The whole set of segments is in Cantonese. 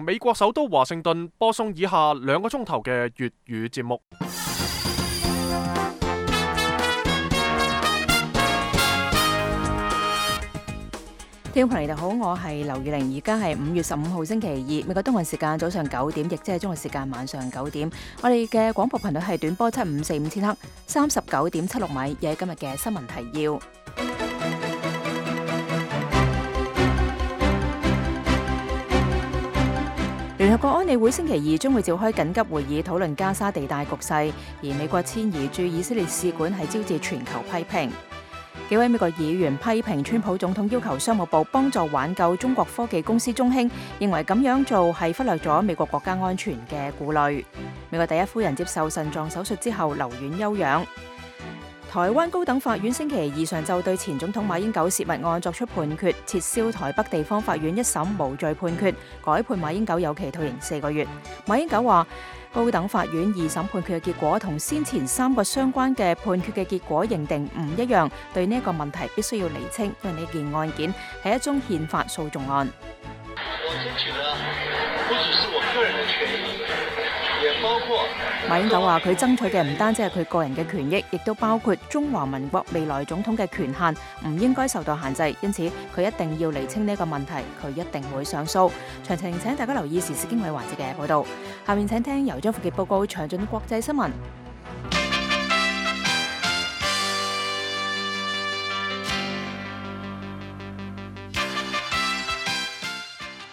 美國首都華盛頓播送以下2個鐘頭嘅粵語節目。聽眾朋友你好，我係劉宇玲，而家係5月15號星期二，美國東岸時間早上9點，亦即係中國時間晚上9點。我哋嘅廣播頻率係短波7545000赫，39.76米，亦係今日嘅新聞提要。聯合國安理會星期二將會召開緊急會議，討論加沙地帶局勢，而美國遷移駐以色列使館係招致全球批評。幾位美國議員批評川普總統要求商務部幫助挽救中國科技公司中興，認為咁樣做係忽略咗美國國家安全嘅顧慮。美國第一夫人接受腎臟手術之後留院休養。台灣高等法院星期二上晝對前總統馬英九洩密案作出判決，撤銷台北地方法院一審無罪判決，改判馬英九有期徒刑4個月。馬英九話，高等法院2審判決嘅結果同先前3個相關嘅判決嘅結果認定唔一樣，對呢一個問題必須要釐清，因為呢件案件係一宗憲法訴訟案。我爭取的不只是我個人的權益，也包括馬英九話佢爭取嘅唔單止係佢個人嘅權益，亦都包括中華民國未來總統嘅權限，唔應該受到限制。因此佢一定要釐清呢個問題，佢一定會上訴。詳情請大家留意時事經緯環節嘅報道。下面請聽由張富傑報告詳盡國際新聞。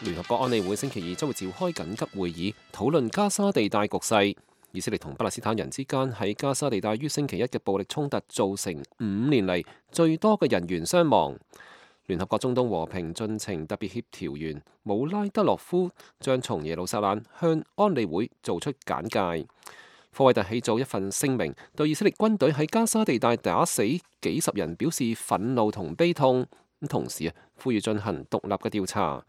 聯合國安理會星期二將會召開緊急會議，討論加沙地帶局勢。以色列同巴勒斯坦人之間喺加沙地帶於星期一嘅暴力衝突，造成5年嚟最多嘅人員傷亡。聯合國中東和平進程特別協調員姆拉德洛夫將從耶路撒冷向安理會做出簡介。科威特起草一份聲明，對以色列軍隊喺加沙地帶打死幾十人表示憤怒同悲痛，同時呼籲進行獨立嘅調查。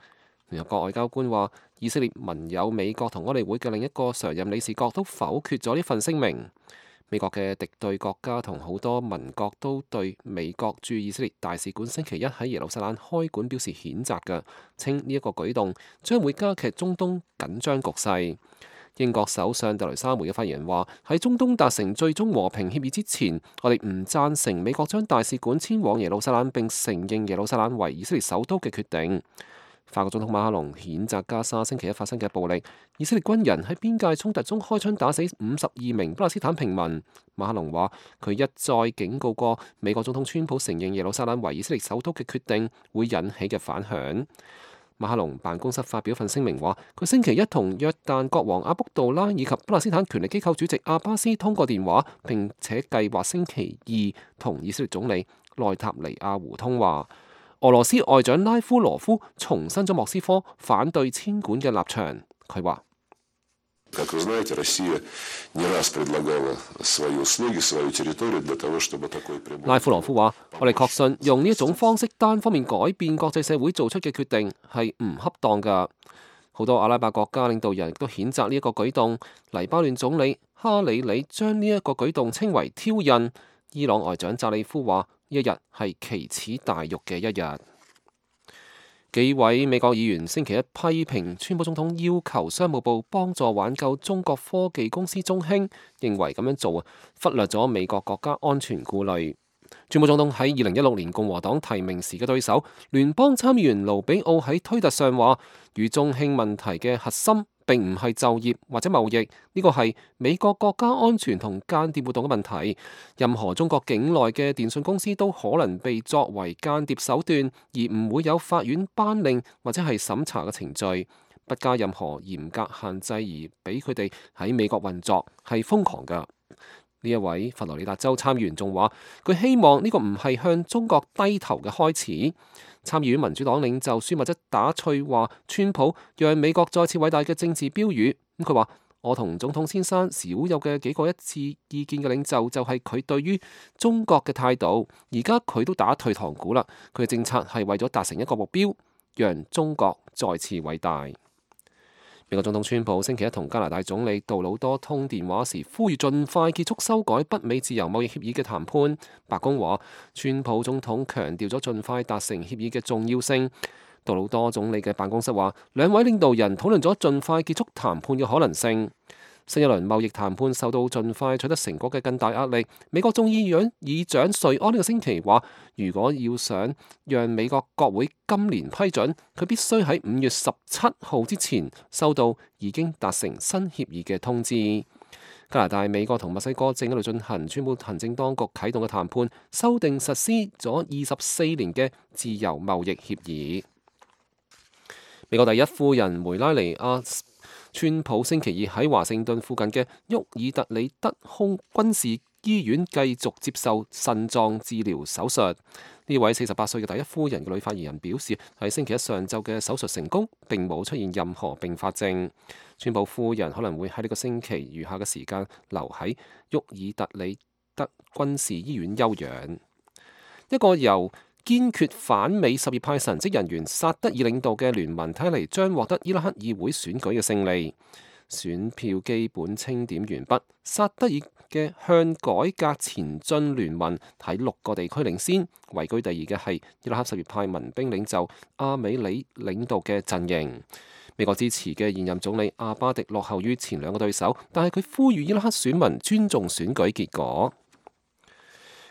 聯合國外交官話，以色列盟友美國同安理會嘅另一個常任理事國都否決咗呢份聲明。美國嘅敵對國家同好多盟國都對美國駐以色列大使館星期一喺耶路撒冷開館表示譴責嘅，稱呢一個舉動將會加劇中東緊張局勢。英國首相特蕾莎梅嘅發言話，喺中東達成最終和平協議之前，我哋唔贊成美國將大使館遷往耶路撒冷並承認耶路撒冷為以色列首都嘅決定。法國總統馬克龍譴責加沙星期一發生嘅暴力，以色列軍人喺邊界衝突中開槍打死52名巴勒斯坦平民。馬克龍話，佢一再警告過美國總統川普承認耶路撒冷為以色列首都嘅決定會引起嘅反響。馬克龍辦公室發表份聲明話，佢星期一同約旦國王阿卜杜拉以及巴勒斯坦權力機構主席阿巴斯通過電話，並且計劃星期二同以色列總理內塔尼亞胡通話。俄羅斯外長拉夫羅夫重申咗莫斯科反對遷館嘅立場。佢話：拉夫羅夫話，我哋確信用呢一種方式單方面改變國際社會做出嘅決定係唔恰當㗎。好多阿拉伯國家領導人亦都譴責呢一個舉動。黎巴嫩總理哈里里將呢一個舉動稱為挑釁。伊朗外長扎里夫話：一日係奇恥大辱嘅一日。幾位美國議員星期一批評川普總統要求商務部幫助挽救中國科技公司中興，認為咁樣做忽略咗美國國家安全顧慮。川普總統喺2016年共和黨提名時嘅對手聯邦參議員盧比奧喺推特上話，與中興問題嘅核心並唔係就業或者貿易，呢個係美國國家安全同間諜活動嘅問題。任何中國境內嘅電信公司都可能被作為間諜手段，而唔會有法院頒令或者係審查嘅程序，不加任何嚴格限制而俾佢哋喺美國運作，係瘋狂㗎。呢一位佛羅里達州參議員仲話，佢希望呢個唔係向中國低頭嘅開始。參議院民主黨領袖舒密則打趣話，川普讓美國再次偉大嘅政治標語。佢話：我同總統先生少有嘅幾個一致意見嘅領袖就係佢對於中國嘅態度。而家佢都打退堂鼓啦，佢嘅政策係為咗達成一個目標，讓中國再次偉大。美國總統川普星期一同加拿大總理杜魯多通電話時，呼籲盡快結束修改北美自由貿易協議嘅談判。白宮話，川普總統強調咗盡快達成協議嘅重要性。杜魯多總理嘅辦公室話，兩位領導人討論咗盡快結束談判嘅可能性。新一輪貿易談判受到盡快取得成果嘅更大壓力。美國眾議院議長瑞安呢個星期話，如果要想讓美國國會今年批准，佢必須喺5月17號之前收到已經達成新協議嘅通知。加拿大、美國同墨西哥正喺度進行川普行政當局啟動嘅談判，修訂實施咗24年嘅自由貿易協議。美國第一夫人梅拉尼亞川普星期二喺華盛頓附近嘅沃爾特里德空軍事醫院繼續接受腎臟治療手術。呢位48歲嘅第一夫人嘅女發言人表示，喺星期一上晝嘅手術成功，並冇出現任何併發症。川普夫人可能會喺呢個星期餘下嘅時間留喺沃爾特里德軍事醫院休養。一個由堅決反美什葉派神職人員薩德爾領導嘅聯盟睇嚟將獲得伊拉克議會選舉嘅勝利，選票基本清點完畢。薩德爾嘅向改革前進聯盟喺6個地區領先，位居第二嘅係伊拉克什葉派民兵領袖阿美里領導嘅陣營。美國支持嘅現任總理阿巴迪落後於前2個對手，但係佢呼籲伊拉克選民尊重選舉結果。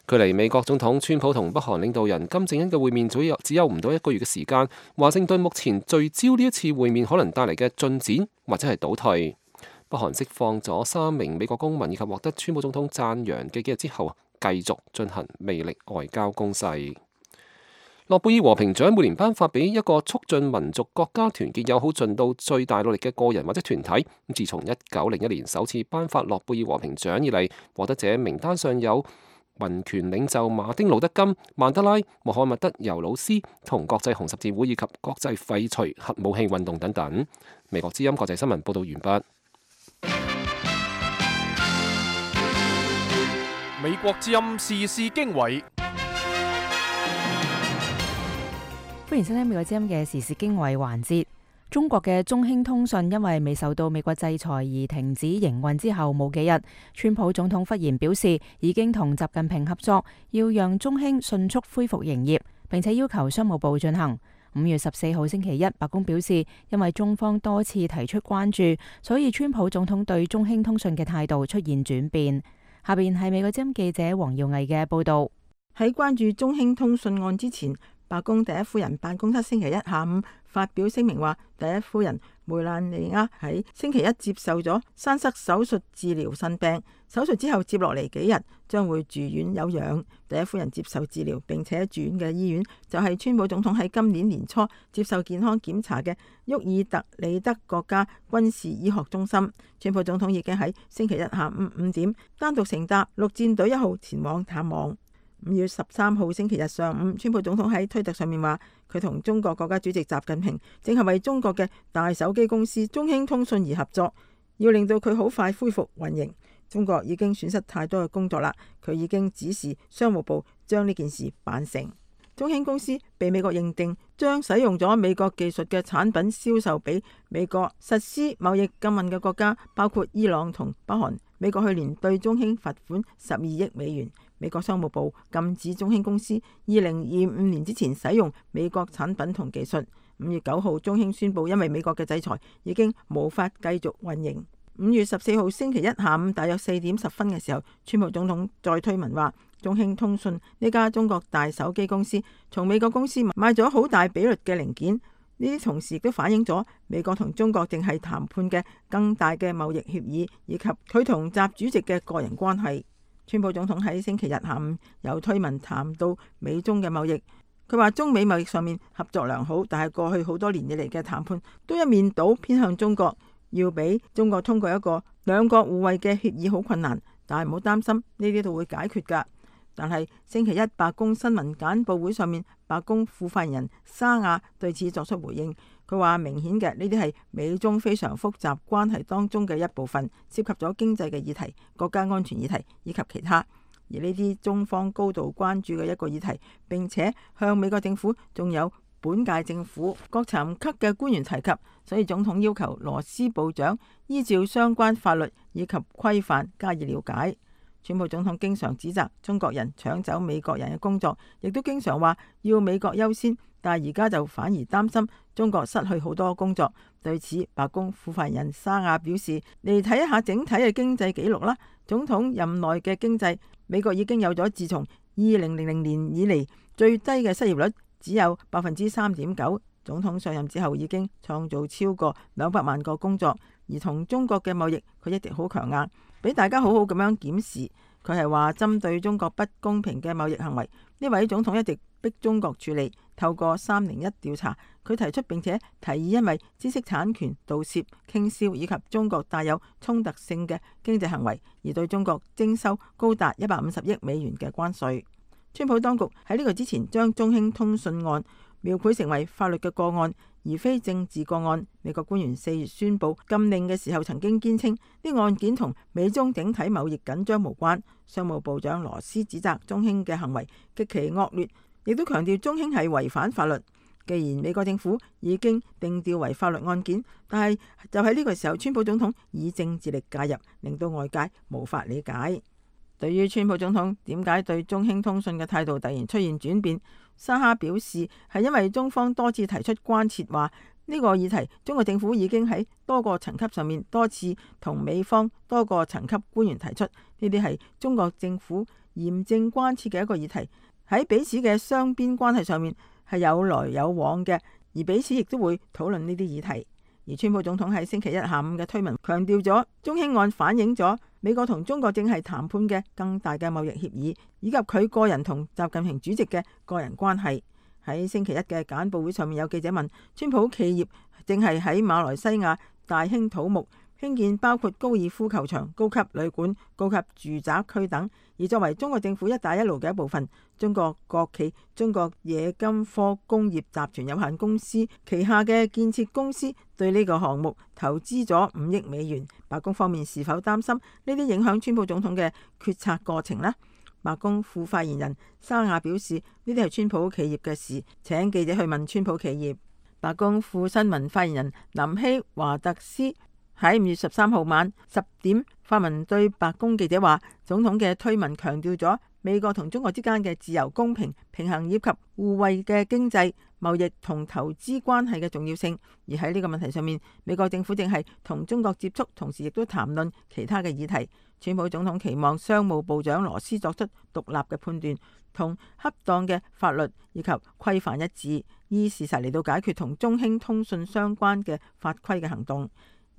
距離美國總統川普同北韓領導人金正恩嘅會面只有唔到1個月嘅時間，華盛頓目前聚焦呢一次會面可能帶嚟嘅進展或者係倒退。北韓釋放咗3名美國公民以及獲得川普總統讚揚嘅幾日之後，繼續進行魅力外交攻勢。諾貝爾和平獎每年頒發俾一個促進民族國家團結友好盡到最大努力嘅個人或者團體。自從1901年首次頒發諾貝爾和平獎以嚟，獲得者名單上有民權領袖馬丁路德金、曼德拉、穆罕默德尤魯斯同國際紅十字會以及國際廢除核武器運動等等。美國之音國際新聞報道完畢。美國之音時事經緯，歡迎收聽美國之音嘅時事經緯環節。中國嘅中興通訊因為未受到美國制裁而停止營運之後冇幾日，川普總統忽然表示已經同習近平合作，要讓中興迅速恢復營業，並且要求商務部進行。5月14號星期一，白宮表示因為中方多次提出關注，所以川普總統對中興通訊嘅態度出現轉變。下邊係美國之音記者黃耀毅嘅報道。喺關注中興通訊案之前，白宮第一夫人辦公室星期一下午發表聲明話，第一夫人梅蘭妮亞喺星期一接受咗栓塞手術治療腎病，手術之後接落嚟幾日將會住院休養。第一夫人接受治療並且住院嘅醫院就係川普總統喺今年年初接受健康檢查嘅沃爾特里德國家軍事醫學中心。川普總統已經喺星期一下午5點單獨乘搭陸戰隊1號前往探望。5月13號星期日上午，川普總統喺推特上面話，佢同中國國家主席習近平正係為中國嘅大手機公司中興通訊而合作，要令到佢好快恢復運營。中國已經損失太多嘅工作啦，佢已經指示商務部將呢件事辦成。中興公司被美國認定將使用咗美國技術嘅產品銷售俾美國實施貿易禁運嘅國家，包括伊朗同北韓。美國去年對中興罰款12億美元。美國商務部禁止中興公司2025年之前使用美國產品同技術。5月9號，中興宣布因為美國嘅制裁已經無法繼續運營。5月14號星期一下午大約4點10分嘅時候，川普總統再推文話，中興通訊呢家中國大手機公司從美國公司買咗好大比率嘅零件，呢啲同時亦都反映咗美國同中國正係談判嘅更大嘅貿易協議，以及佢同習主席嘅個人關係。川普總統喺星期日下午有推文談到美中嘅貿易，佢話中美貿易上面合作良好，但係過去好多年以嚟嘅談判都一面倒偏向中國，要俾中國通過一個兩國互惠嘅協議好困難，但係唔好擔心，呢啲都會解決㗎。但係星期一白宮新聞簡報會上面，白宮副發言人沙亞對此作出回應，佢話明顯嘅呢啲係美中非常複雜關係當中嘅一部分，涉及咗經濟嘅議題、國家安全議題以及其他，而呢啲中方高度關注嘅一個議題，並且向美國政府仲有本屆政府各層級嘅官員提及，所以總統要求羅斯部長依照相關法律以及規範加以了解。川普總統經常指責中國人搶走美國人嘅工作，亦都經常話要美國優先，但係而家就反而擔心中國失去好多工作。對此，白宮副發言人沙亞表示：嚟睇一下整體嘅經濟紀錄啦，總統任內嘅經濟，美國已經有咗自從2000年以嚟最低嘅失業率只有3.9%。總統上任之後已經創造超過200萬個工作，而同中國嘅貿易佢一直好強硬，俾大家好好咁樣檢視。佢係話針對中國不公平嘅貿易行為，呢位總統一直逼中國處理。透過301調查，佢提出並且提議，因為知識產權盜竊、傾銷以及中國帶有衝突性嘅經濟行為，而對中國徵收高達150億美元嘅關稅。川普當局喺呢個之前將中興通訊案描繪成為法律嘅個案，而非政治個案。美國官員4月宣布禁令嘅時候，曾經堅稱呢案件同美中整體貿易緊張無關。商務部長羅斯指責中興嘅行為極其惡劣，亦都強調中興係違反法律。既然美國政府已經定調為法律案件，但係就喺呢個時候，川普總統以政治力介入，令到外界無法理解。對於川普總統點解對中興通訊嘅態度突然出現轉變，沙哈表示係因為中方多次提出關切，話呢個議題中國政府已經喺多個層級上面多次同美方多個層級官員提出，呢啲係中國政府嚴正關切嘅一個議題，喺彼此嘅雙邊關係上面係有來有往嘅，而彼此亦都會討論呢啲議題。而川普總統喺星期一下午嘅推文強調咗，中興案反映咗美國同中國正係談判嘅更大嘅貿易協議，以及佢個人同習近平主席嘅個人關係。喺星期一嘅簡報會上面，有記者問川普企業正係喺馬來西亞大興土木，興建包括高爾夫球場、高級旅館、高級住宅區等。而作為中國政府一帶一路嘅一部分，中國國企中國冶金科工業集團有限公司旗下嘅建設公司對呢個項目投資咗5億美元。白宮方面是否擔心呢啲影響川普總統嘅決策過程呢？白宮副發言人沙亞表示，呢啲係川普企業嘅事，請記者去問川普企業。白宮副新聞發言人林希華特斯喺5月13號晚10點發文對白宮記者話，總統嘅推文強調咗美國同中國之間嘅自由、公平、平衡以及互惠嘅經濟、貿易同投資關係嘅重要性。而喺呢個問題上面，美國政府正係同中國接觸，同時亦都談論其他嘅議題。川普總統期望商務部長羅斯作出獨立嘅判斷，同恰當嘅法律以及規範一致，依事實嚟到解決同中興通訊相關嘅法規嘅行動。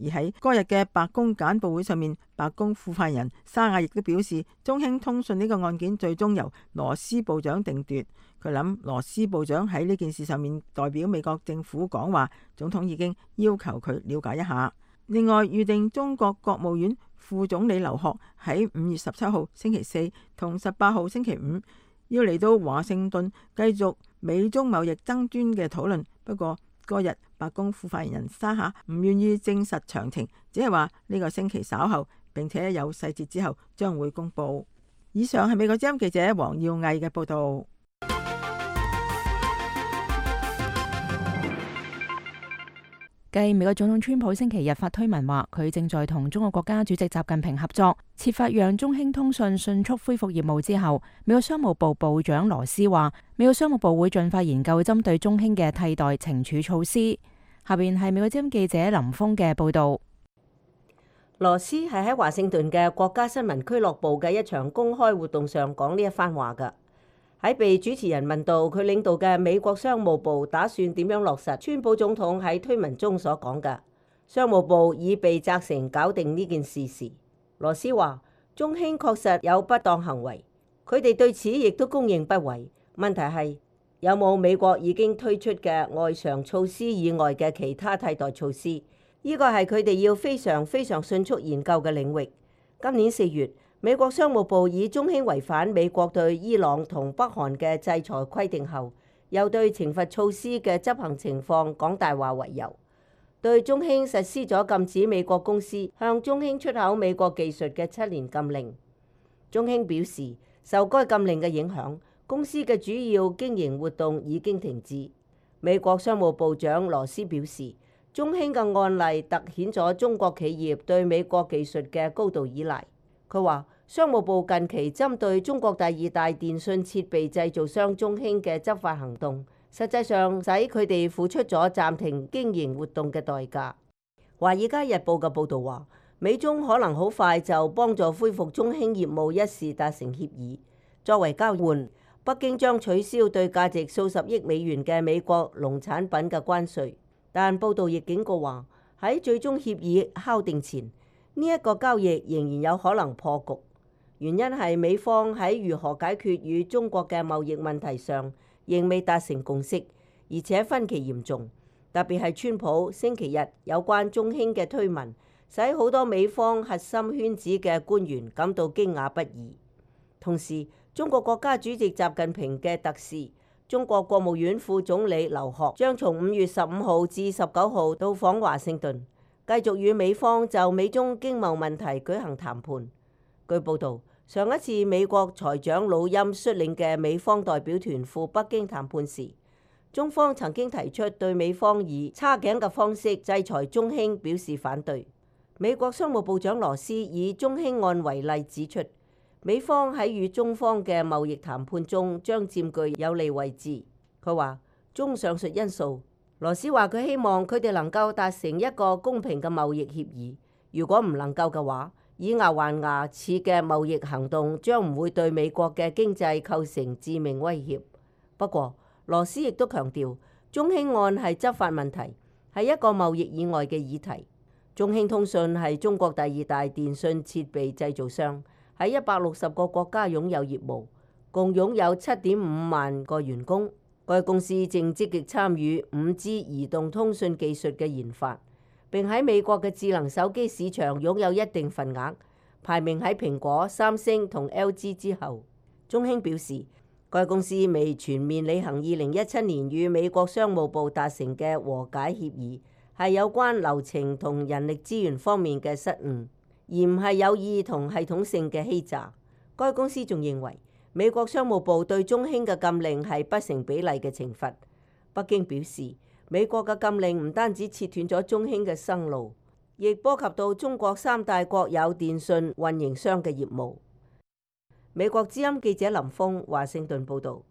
而喺嗰日嘅白宮簡報會上面，白宮副發言人沙亞亦都表示，中興通訊呢個案件最終由羅斯部長定奪。佢諗羅斯部長喺呢件事上面代表美國政府講話，總統已經要求佢了解一下。另外，預定中國國務院副總理劉鶴喺5月17號星期四同18號星期五要嚟到華盛頓繼續美中貿易爭端嘅討論。不過嗰日白宮副發言人沙夏唔願意證實詳情，只係話呢個星期稍後，並且有細節之後將會公布。以上係美國之音記者黃耀毅嘅報道。繼美國總統川普星期日發推文話，佢正在同中國國家主席習近平合作，設法讓中興通訊迅速恢復業務之後，美國商務部部長羅斯話，美國商務部會盡快研究針對中興嘅替代懲處措施。下邊係美國之音記者林峰嘅報道。羅斯係喺華盛頓嘅國家新聞俱樂部嘅一場公開活動上講呢一番話㗎。喺被主持人問到佢領導嘅美國商務部打算點樣落實川普總統喺推文中所講嘅，商務部已被責成搞定呢件事時，羅斯話中興確實有不當行為，佢哋對此亦都公認不諱。問題係有冇美國已經推出嘅外常措施以外嘅其他替代措施？呢個係佢哋要非常迅速研究嘅領域。今年4月，美國商務部以中興違反美國對伊朗同北韓嘅制裁規定後，又對懲罰措施嘅執行情況講大話為由，對中興實施咗禁止美國公司向中興出口美國技術嘅7年禁令。中興表示，受該禁令嘅影響，公司嘅主要經營活動已經停止。美國商務部長羅斯表示，中興嘅案例突顯咗中國企業對美國技術嘅高度依賴。佢話，商務部近期針對中國第2大電信設備製造商中興嘅執法行動實際上使佢哋付出咗暫停經營活動嘅代價。《華爾街日報》嘅報導話，美中可能好快就幫助恢復中興業務一事達成協議，作為交換，北京將取消對價值數十億美元嘅美國農產品嘅關稅。但報導亦警告話，喺最終協議敲定前，呢一個交易仍然有可能破局。原因係美方喺如何解決與中國嘅貿易問題上仍未達成共識，而且分歧嚴重。特別係川普星期日有關中興嘅推文，使好多美方核心圈子嘅官員感到驚訝不已。同時，中國國家主席習近平嘅特使、中國國務院副總理劉鶴將從5月15號至19號到訪華盛頓，繼續與美方就美中經貿問題舉行談判。據報導，上一次美國財長魯欽率領嘅美方代表團赴北京談判時，中方曾經提出對美方以叉頸嘅方式制裁中興表示反對。美國商務部長羅斯以中興案為例指出，美方喺與中方嘅貿易談判中將佔據有利位置。佢話，綜上述因素，羅斯話佢希望佢哋能夠達成一個公平嘅貿易協議。如果唔能夠嘅話，以牙還牙似嘅貿易行動將唔會對美國嘅經濟構成致命威脅。不過，羅斯亦都強調，中興案係執法問題，係一個貿易以外嘅議題。中興通訊係中國第2大電信設備製造商，喺160個國家擁有業務，共擁有7.5萬個員工。該公司正積極參與5G 移動通訊技術嘅研發，並喺美國嘅智能手機市場擁有一定份額，排名喺蘋果、三星同 LG 之後。中興表示，該公司未全面履行2017年與美國商務部達成嘅和解協議，係有關流程同人力資源方面嘅失誤，而唔係有意同系統性嘅欺詐。該公司仲認為，美國商務部對中興嘅禁令係不成比例嘅懲罰。北京表示，美國嘅禁令唔單止切斷咗中興嘅生路，亦波及到中國3大國有電信運營商嘅業務。美國之音記者林峰華盛頓報導。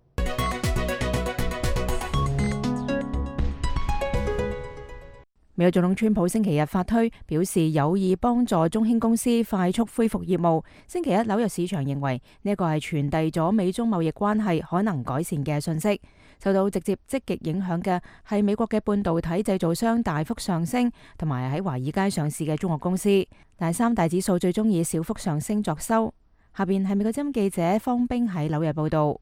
美國總統川普星期日發推表示有意幫助中興公司快速恢復業務。星期一紐約市場認為呢個係傳遞咗美中貿易關係可能改善嘅訊息。受到直接積極影響嘅係美國嘅半導體製造商大幅上升，同埋喺華爾街上市嘅中國公司。但3大指數最終以小幅上升作收。下邊係美國之音記者方冰喺紐約報道。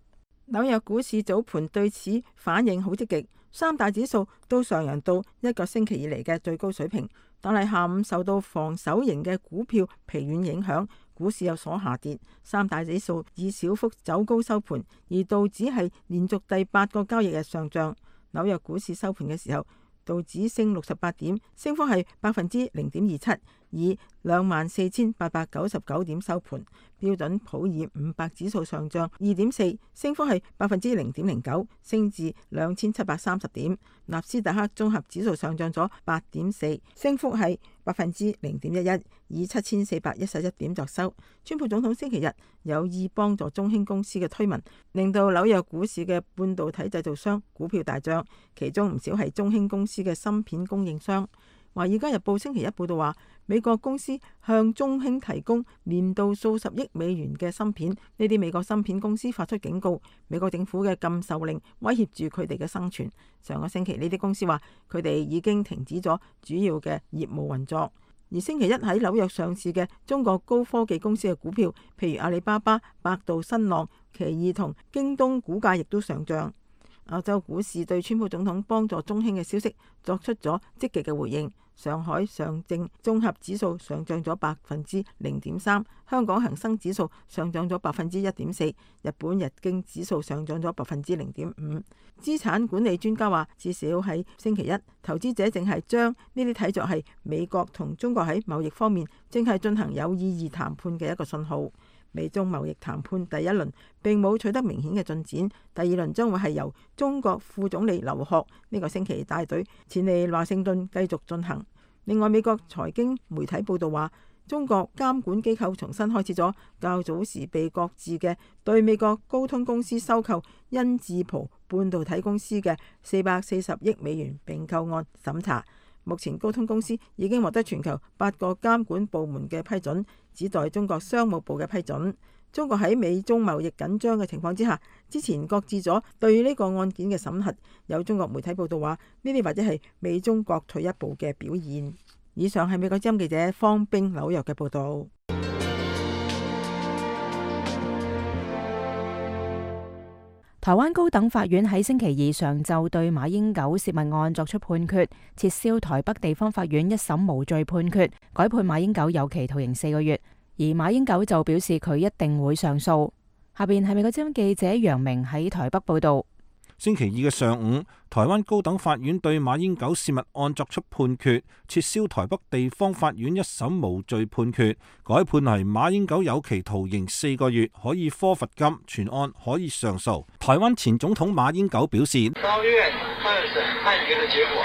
紐約股市早盤對此反應好積極，3大指數都上揚到一個星期以嚟嘅最高水平。但係下午受到防守型嘅股票疲軟影響，股市有所下跌。3大指數以小幅走高收盤，而道指係連續第8個交易日上漲。紐約股市收盤嘅時候，道指升68點，升幅係0.27%，以24,899點收盤。標準普爾500指數上漲2.4%，升幅係0.09%，升至2730點。納斯達克綜合指數上漲咗8.4%，升幅係0.11%，以7411點作收。川普總統星期日有意幫助中興公司嘅推文，令到紐約股市嘅半導體製造商股票大漲，其中唔少係中興公司嘅芯片供應商。華爾街日報星期一報道話，美國公司向中興提供年度數十億美元嘅芯片，呢啲美國芯片公司發出警告，美國政府嘅禁售令威脅住佢哋嘅生存。上個星期呢啲公司話，佢哋已經停止咗主要嘅業務運作。而星期一喺紐約上市嘅中國高科技公司嘅股票，譬如阿里巴巴、百度、新浪、奇異同京東，股價亦都上漲。歐洲股市對川普總統幫助中興嘅消息作出咗積極嘅回應。上海上證綜合指數上漲咗0.3%，香港恒生指數上漲咗1.4%，日本日經指數上漲咗0.5%。資產管理專家話，至少喺星期一，投資者正係將呢啲睇作係美國同中國喺貿易方面正係進行有意義談判嘅一個信號。美中貿易談判第一輪並冇取得明顯嘅進展，第二輪將會係由中國副總理劉鶴呢個星期帶隊前嚟華盛頓繼續進行。另外，美國財經媒體報道話，中國監管機構重新開始咗較早時被擱置嘅對美國高通公司收購恩智浦半導體公司嘅440億美元併購案審查。目前高通公司已經獲得全球8個監管部門嘅批准，只待中國商務部嘅批准。中國喺美中貿易緊張嘅情況之下，之前擱置咗對呢個案件嘅審核。有中國媒體報道話，呢啲或者係美中各退一步嘅表現。以上係美國之音記者方冰紐約嘅報道。台灣高等法院喺星期二上晝對馬英九洩密案作出判決，撤銷台北地方法院一審無罪判決，改判馬英九有期徒刑4個月。而馬英九就表示佢一定會上訴。下邊係美國之音記者楊明喺台北報道。星期二嘅上午，台灣高等法院對馬英九洩密案作出判決，撤銷台北地方法院一審無罪判決，改判係馬英九有期徒刑4個月，可以科罰金，全案可以上訴。台灣前總統馬英九表示，高院二審判決嘅結果，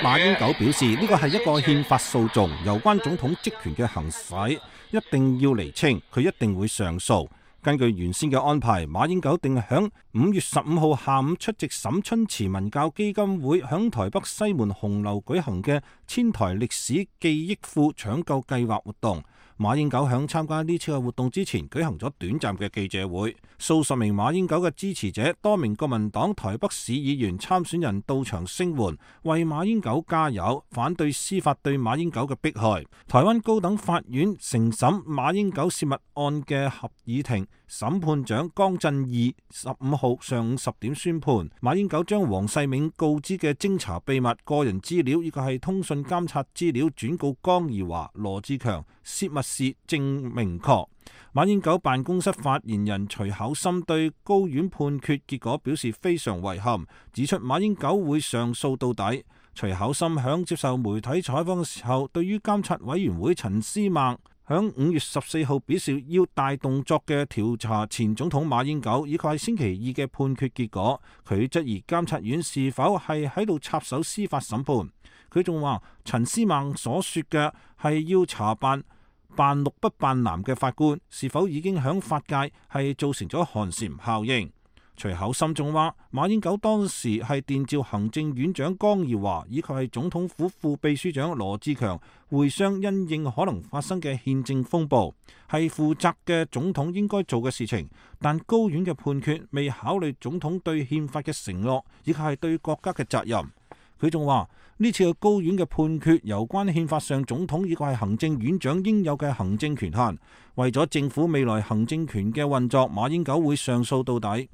馬英九表示呢個係一個憲法訴訟，有關總統職權嘅行使一定要釐清，佢一定會上訴。根據原先嘅安排，馬英九定響5月15號下午出席沈春池文教基金會響台北西門紅樓舉行嘅千台歷史記憶庫搶救計劃活動。馬英九響參加呢次嘅活動之前舉行咗短暫嘅記者會，數十名馬英九嘅支持者、多名國民黨台北市議員參選人到場聲援，為馬英九加油，反對司法對馬英九嘅迫害。台灣高等法院承審馬英九洩密案嘅合議庭審判長江振義15號上午10點宣判，馬英九將黃世銘告知嘅偵查秘密、個人資料以及係通訊監察資料轉告江宜樺、羅智強，洩密事正明確。馬英九辦公室發言人徐巧芯對高院判決結果表示非常遺憾，指出馬英九會上訴到底。徐巧芯響接受媒體採訪嘅時候，對於監察委員會陳思孟響5月14號表示要大動作嘅調查前總統馬英九，以及係星期二嘅判決結果，佢質疑監察院是否係喺度插手司法審判。佢仲話陳思孟所說嘅係要查辦綠不辦藍嘅法官，是否已經響法界係造成咗寒蟬效應。徐巧芯仲話馬英九當時係電召行政院長江宜樺以及係總統府副秘書長羅智強會商，因應可能發生嘅憲政風暴，係負責嘅總統應該做嘅事情。但高院嘅判決未考慮總統對憲法嘅承諾，以及係對國家嘅責任。佢仲話呢次嘅高院嘅判決有關憲法上總統以及係行政院長應有嘅行政權限，為咗政府未來行政權嘅運作，馬英九會上訴到底。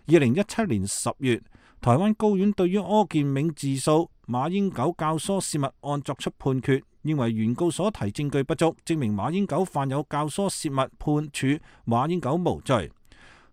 2017年10月，台灣高院對於柯建銘自訴馬英九教唆洩密案作出判決，認為原告所提證據不足，證明馬英九犯有教唆洩密，判處馬英九無罪。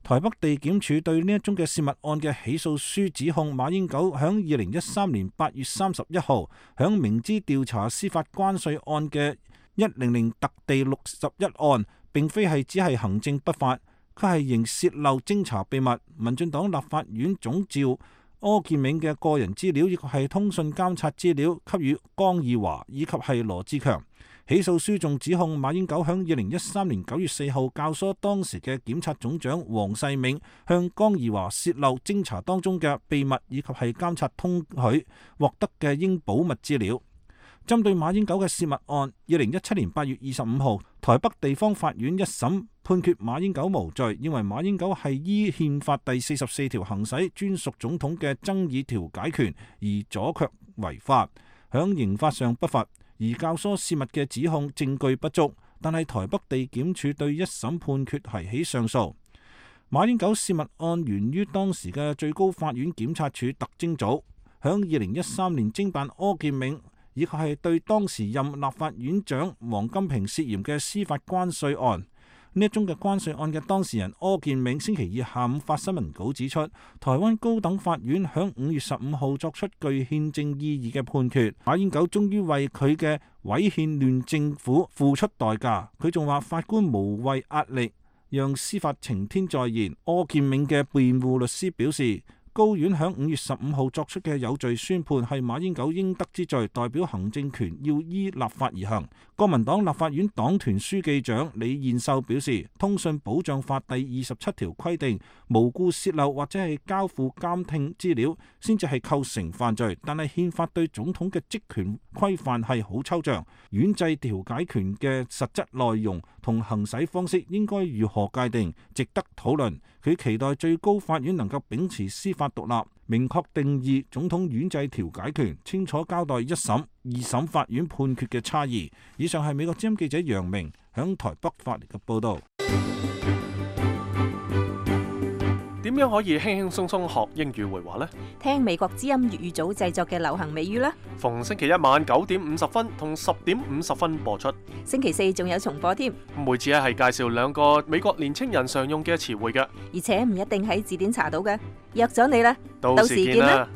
台北地檢署對呢一宗嘅洩密案嘅起訴書指控馬英九響2013年8月31號響明知調查司法關稅案嘅100特地61案，並非係只係行政不法，佢係仍洩漏偵查秘密、民進黨立法院總召柯建銘嘅個人資料，以及係通訊監察資料給予江宜樺以及係羅智強。起訴書仲指控馬英九響2013年9月4號教唆當時嘅檢察總長黃世銘向江宜樺洩漏偵查當中嘅秘密，以及係監察通許獲得嘅應保密資料。針對馬英九嘅洩密案，2017年8月25號，台北地方法院一審判決馬英九無罪，認為馬英九係依憲法第44條行使專屬總統嘅爭議調解權，而阻卻違法，響刑法上不罰。而教唆洩密嘅指控證據不足，但係台北地檢署對一審判決提起上訴。馬英九洩密案源於當時嘅最高法院檢察署特偵組響2013年偵辦柯建銘，以及係對當時任立法院長王金平涉嫌嘅司法關稅案。呢一宗嘅關稅案嘅當事人柯建銘星期二下午發新聞稿指出，台灣高等法院響5月15號作出具憲政意義嘅判決，馬英九終於為佢嘅違憲亂政府付出代價。佢仲話法官無謂壓力，讓司法晴天再現。柯建銘嘅辯護律師表示，高院響5月15號作出嘅有罪宣判係馬英九應得之罪，代表行政權要依立法而行。國民黨立法院黨團書記長李彥秀表示，通訊保障法第27條規定，無故泄漏或者係交付監聽資料先至係構成犯罪，但係憲法對總統嘅職權規範係好抽象，院制調解權嘅實質內容同行使方式應該如何界定，值得討論。佢期待最高法院能夠秉持司法獨立，明確定義總統院制調解權，清楚交代一審、二審法院判決嘅差異。以上係美國之音記者楊明響台北發嚟嘅報道。點樣可以輕輕鬆鬆學英語會話呢？聽美國之音粵語組製作嘅流行美語啦。逢星期一晚9點50分同10點50分播出。星期四仲有重播添。每次係介紹2個美國年青人常用嘅詞彙嘅，而且唔一定喺字典查到嘅。約咗你啦，到時見啦。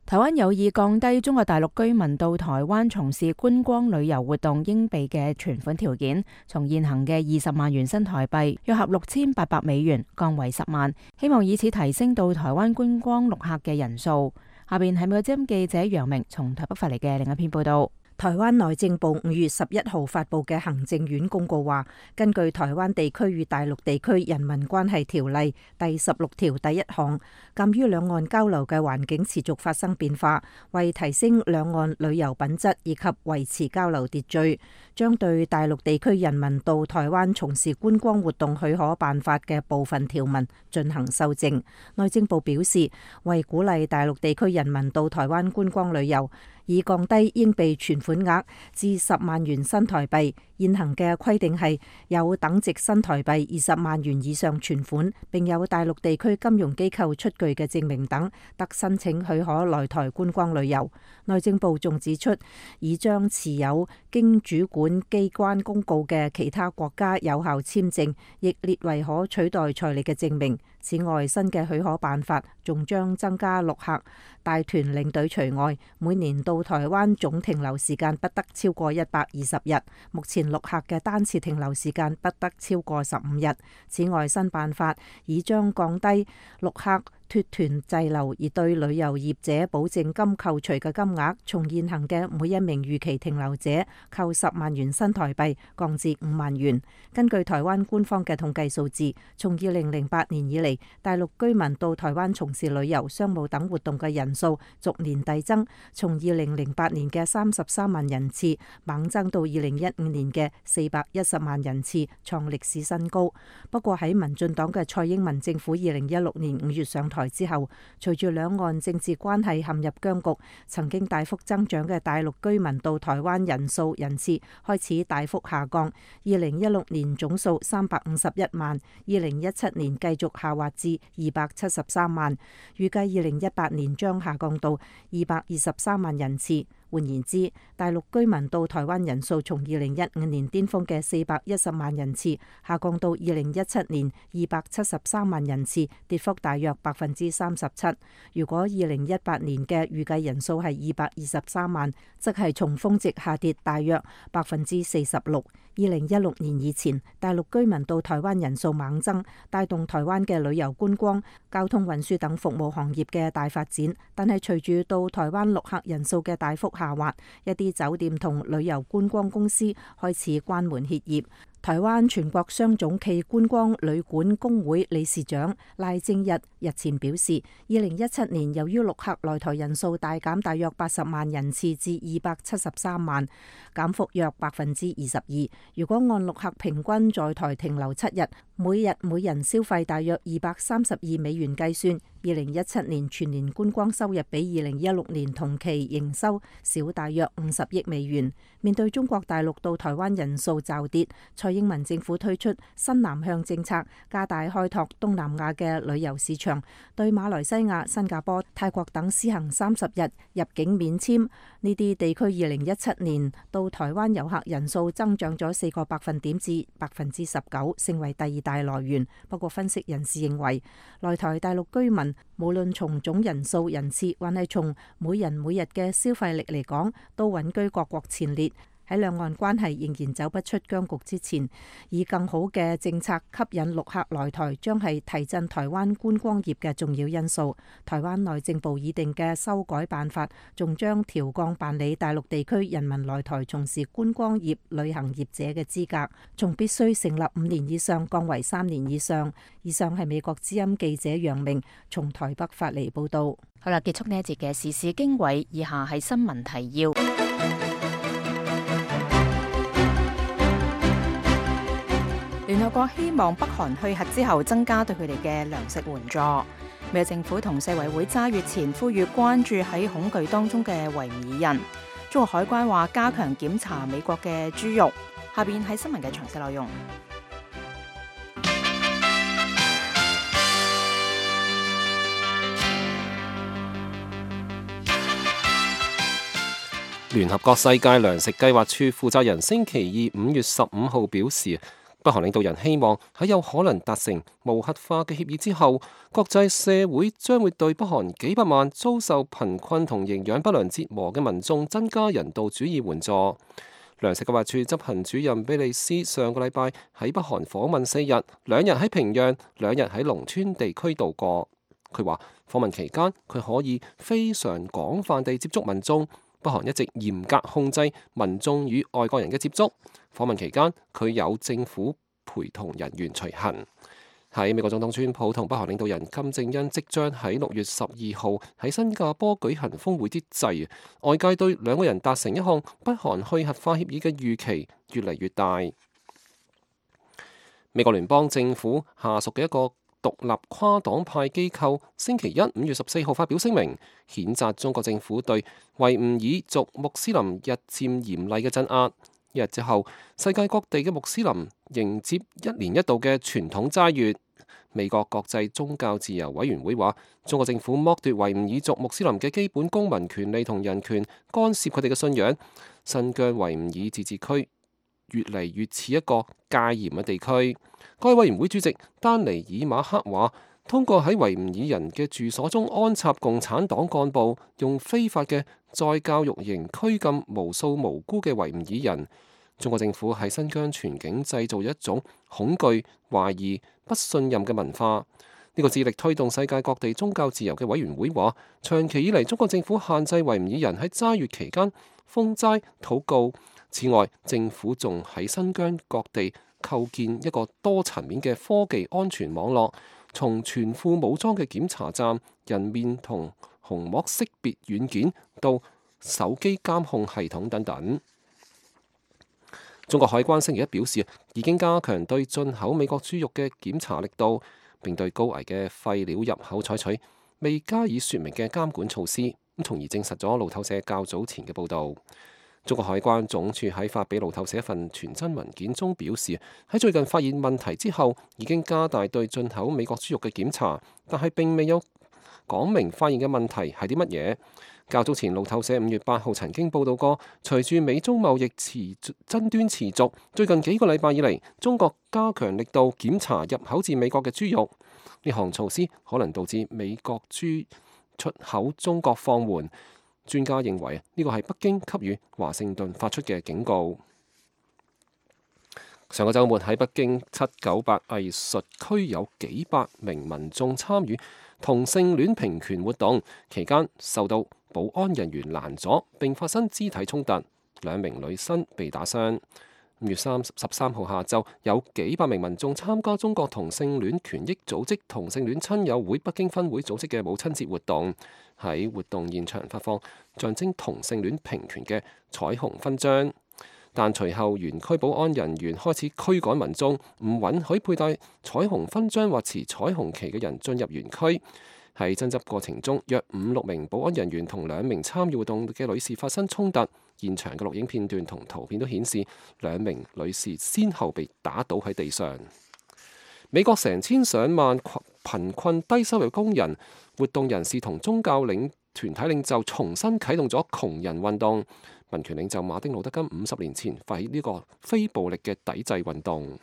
台灣有意降低中國大陸居民到台灣從事觀光旅遊活動應備嘅存款條件，從現行嘅20萬元新台幣約合6800美元降為10萬，希望以此提升到台灣觀光陸客嘅人數。下邊係美國之音記者楊明從台北發嚟嘅另一篇報道。台灣內政部5月11號發布嘅行政院公告話，根據台灣地區與大陸地區人民關係條例第16條第1項，鑑於兩岸交流嘅環境持續發生變化，為提升兩岸旅遊品質以及維持交流秩序，將對大陸地區人民到台灣從事觀光活動許可辦法嘅部分條文進行修正。內政部表示，為鼓勵大陸地區人民到台灣觀光旅遊，以降低應備存款額至10萬元新台幣。現行嘅規定係有等值新台幣20萬元以上存款，並有大陸地區金融機構出具嘅證明等，得申請許可來台觀光旅遊。內政部仲指出，已將持有經主管機關公告嘅其他國家有效簽證，亦列為可取代財力嘅證明。此外，新嘅許可辦法仲將增加陸客帶團領隊除外，每年到台灣總停留時間不得超過120日。目前陸客嘅單次停留時間不得超過15日。此外，新辦法已將降低陸客脫團滯留而對旅遊業者保證金扣除嘅金額，從現行嘅每一名逾期停留者扣10萬元新台幣降至5萬元。根據台灣官方嘅統計數字，從2008年以嚟，大陸居民到台灣從事旅遊、商務等活動嘅人數逐年遞增，從2008年嘅33萬人次猛增到2015年嘅410萬人次，創歷史新高。不過喺民進黨嘅蔡英文政府2016年5月上台之後，隨住兩岸政治關係陷入僵局，曾經大幅增長嘅大陸居民到台灣人次開始大幅下降。2016年總數351萬，2017年繼續下滑至273萬，預計2018年將下降到223萬人次。換言之，大陸居民到台灣人數從2015年巔峰嘅410萬人次下降到2017年273萬人次，跌幅大約37%。如果2018年嘅預計人數係223萬，即係從峰值下跌大約46%。2016年以前，大陸居民到台灣人數猛增，帶動台灣嘅旅遊觀光、交通運輸等服務行業嘅大發展。但係隨住到台灣陸客人數嘅大幅下滑，一啲酒店同旅遊觀光公司開始關門歇業。台灣全國商總暨觀光旅館工會理事長賴正日前表示，2017年由於陸客來台人數大減大約80萬人次至273萬，減幅約22%。如果按陸客平均在台停留7日，每日每人消費大約232美元計算，2017年全年觀光收入比2016年同期營收少大約50億美元。面對中國大陸到台灣人數驟跌，蔡英文政府推出新南向政策，加大開拓東南亞嘅旅遊市場，對馬來西亞、新加坡、泰國等施行30日入境免簽。呢啲地區2017年到台灣遊客人數增長咗4個百分點至19%，成為第2大來源。不過分析人士認為，來台大陸居民無論從總人數人次，還係從每人每日嘅消費力嚟講，都穩居各國前列。喺兩岸關係仍然走不出僵局之前，以更好嘅政策吸引陸客來台，將係提振台灣觀光業嘅重要因素。台灣內政部擬定嘅修改辦法，仲將調降辦理大陸地區人民來台從事觀光業、旅行業者嘅資格，從必須成立5年以上降為3年以上。以上係美國之音記者楊明從台北發嚟報道。好啦，結束呢一節嘅時事經緯，以下係新聞提要。聯合國希望北韓去核之後增加對佢哋嘅糧食援助。美國政府同世衛會揸月前呼籲關注喺恐懼當中嘅維吾爾人。中國海關話加強檢查美國嘅豬肉。下邊係新聞嘅詳細內容。聯合國世界糧食計劃處負責人星期二5月15號表示，北韓領導人希望喺有可能達成無核化嘅協議之後，國際社會將會對北韓幾百萬遭受貧困同營養不良折磨嘅民眾增加人道主義援助。糧食計劃處執行主任比利斯上個禮拜喺北韓訪問4日，2日喺平壤，2日喺農村地區度過。佢話訪問期間佢可以非常廣泛地接觸民眾。北韓一直嚴格控制民眾與外國人嘅接觸。訪問期間，佢有政府陪同人員隨行。喺美國總統川普同北韓領導人金正恩即將喺6月12號喺新加坡舉行峰會之際，外界對兩個人達成一項北韓去核化協議嘅預期越嚟越大。美國聯邦政府下屬嘅一個獨立跨黨派機構星期一5月14號發表聲明，譴責中國政府對維吾爾族穆斯林日漸嚴厲嘅鎮壓。一日之後，世界各地嘅穆斯林迎接1年1度嘅傳統齋月。美國國際宗教自由委員會話，中國政府剝奪維吾爾族穆斯林嘅基本公民權利同人權，干涉佢哋嘅信仰。新疆維吾爾自治區越嚟越似一個戒嚴嘅地區。該委員會主席丹尼爾馬克話，通過喺維吾爾人嘅住所中安插共產黨幹部，用非法嘅再教育營拘禁無數無辜嘅維吾爾人。中國政府喺新疆全境製造一種恐懼、懷疑、不信任嘅文化。呢個致力推動世界各地宗教自由嘅委員會話，長期以嚟中國政府限制維吾爾人喺齋月期間封齋禱告。此外，政府仲喺新疆各地構建一個多層面嘅科技安全網絡，從全副武裝嘅檢查站、人面同虹膜識別軟件到手機監控系統等等。中國海關星期一表示，已經加強對進口美國豬肉嘅檢查力度，並對高危嘅廢料入口採取未加以說明嘅監管措施，咁從而證實咗路透社較早前嘅報導。中國海關總署喺發俾路透社一份傳真文件中表示，喺最近發現問題之後，已經加大對進口美國豬肉嘅檢查，但係並未有講明發現嘅問題係啲乜嘢。較早前路透社5月8號曾經報導過，隨住美中貿易爭端持續，最近幾個禮拜以嚟，中國加強力度檢查入口至美國嘅豬肉。呢項措施可能導致美國豬出口中國放緩。專家認為呢個係北京給予華盛頓發出嘅警告。上個週末喺北京798藝術區有幾百名民眾參與同性戀平權活動，期間受到保安人員攔阻並發生肢體衝突，2名女生被打傷。5月13號下晝，有幾百名民眾參加中國同性戀權益組織同性戀親友會北京分會組織嘅母親節活動，喺活動現場發放象徵同性戀平權嘅彩虹勳章。但隨後園區保安人員開始驅趕民眾，唔允許佩戴彩虹勳章或持彩虹旗嘅人進入園區。喺爭執過程中，約5-6名保安人員同2名參與活動嘅女士發生衝突。現場嘅錄影片段同圖片都顯示2名女士先後被打倒喺地上。美國成千上萬貧困低收入工人、活動人士同宗教團體領袖重新啟動咗窮人運動。民權領袖馬丁路德金50年前發起呢個非暴力嘅抵制運動。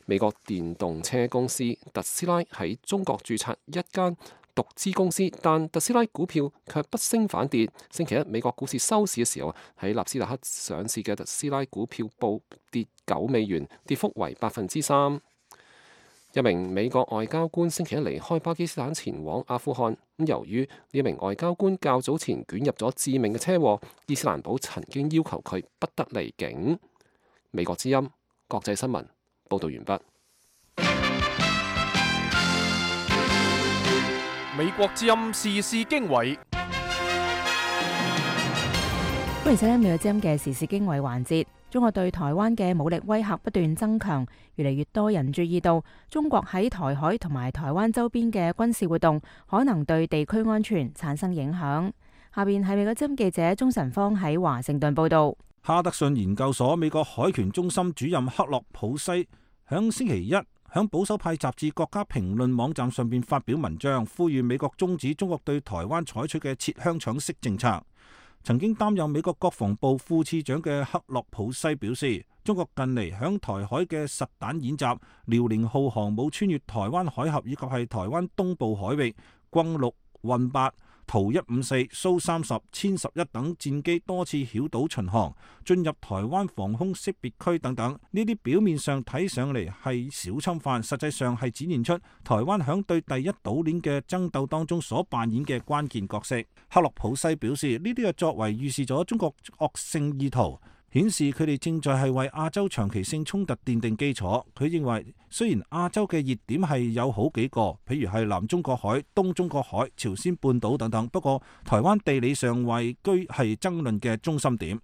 美國電動車公司特斯拉喺中國註冊一間獨資公司，但特斯拉股票卻不升反跌。星期一美國股市收市嘅時候，喺納斯達克上市嘅特斯拉股票報跌$9，跌幅為3%。一名美國外交官星期一離開巴基斯坦前往阿富汗。由於呢名外交官較早前捲入咗致命嘅車禍，伊斯蘭堡曾經要求佢不得離境。美國之音國際新聞報道完畢。美國之音時事經緯，歡迎收聽美國之音嘅時事經緯環節。中國對台灣嘅武力威嚇不斷增強，越嚟越多人注意到中國喺台海同埋台灣周邊嘅軍事活動可能對地區安全產生影響。下邊係美國之音記者鍾晨芳喺華盛頓報道。哈德遜研究所美國海權中心主任克洛普西響星期一響保守派雜誌《國家評論》網站上邊發表文章，呼籲美國終止中國對台灣採取嘅切香腸式政策。曾經擔任美國國防部副次長嘅克洛普西表示，中國近嚟響台海嘅實彈演習，遼寧號航母穿越台灣海峽以及係台灣東部海域，轟六、運八、圖154、蘇30、殲11等戰機多次繞島巡航，進入台灣防空識別區等等。呢啲表面上睇上嚟係小侵犯，實際上係展現出台灣響對第一島鏈嘅爭鬥當中所扮演嘅關鍵角色。克洛普西表示，呢啲嘅作為預示咗中國惡性意圖，顯示佢哋正在係為亞洲長期性衝突奠定基礎。佢認為，雖然亞洲嘅熱點係有好幾個，譬如係南中國海、東中國海、朝鮮半島等等，不過台灣地理上位居係爭論嘅中心點。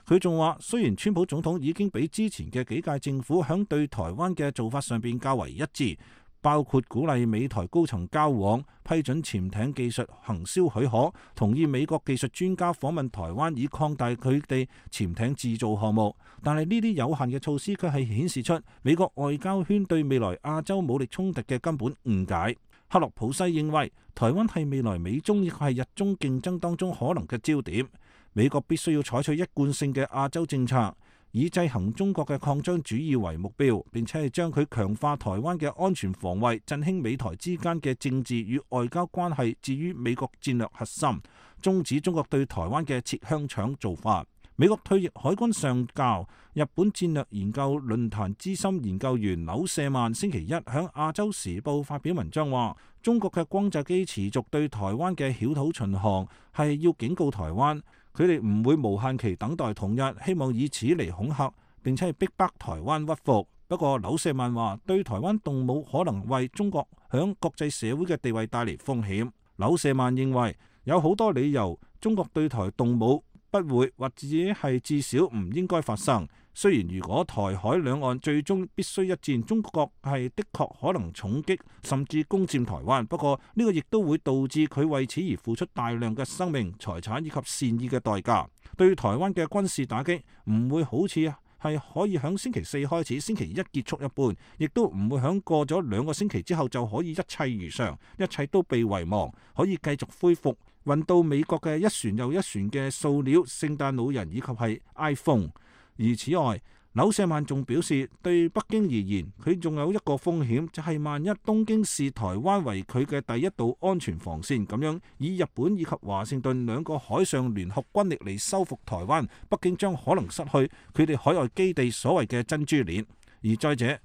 佢仲話，雖然川普總統已經比之前嘅幾屆政府響對台灣嘅做法上邊較為一致，包括鼓勵美台高層交往、批准潛艇技術行銷許可、同意美國技術專家訪問台灣以擴大佢哋潛艇製造項目。但係呢啲有限嘅措施卻係顯示出美國外交圈對未來亞洲武力衝突嘅根本誤解。克洛普西認為，台灣係未來美中亦係日中競爭當中可能嘅焦點。美國必須要採取一貫性嘅亞洲政策，以制衡中國嘅擴張主義為目標，並且係將佢強化台灣嘅安全防衛，振興美台之間嘅政治與外交關係置於美國戰略核心，終止中國對台灣嘅切香腸做法。美國退役海軍上校、日本戰略研究論壇資深研究員柳舍曼星期一響亞洲時報發表文章話，中國嘅轟炸機持續對台灣嘅繞島巡航係要警告台灣，佢哋唔會無限期等待統一，希望以此嚟恐嚇並且係逼迫台灣屈服。不過柳舍曼話，對台灣動武可能為中國響國際社會嘅地位帶嚟風險。柳舍曼認為有好多理由中國對台動武不會或者係至少唔應該發生。雖然如果台海兩岸最終必須一戰，中國係的確可能重擊甚至攻佔台灣，不過呢個亦都會導致佢為此而付出大量嘅生命、財產以及善意嘅代價。對台灣嘅軍事打擊唔會好似係可以響星期四開始，星期一結束一般，亦都唔會響過咗2個星期之後就可以一切如常，一切都被遺忘，可以繼續恢復運到美國嘅一船又一船嘅塑料聖誕老人以及係 iPhone。而此外，柳舍曼仲表示，對北京而言，佢仲有一個風險，就係萬一東京視台灣為佢嘅第一道安全防線，咁樣以日本以及華盛頓2個海上聯合軍力嚟收復台灣，北京將可能失去佢哋海外基地所謂嘅珍珠鏈。而再者，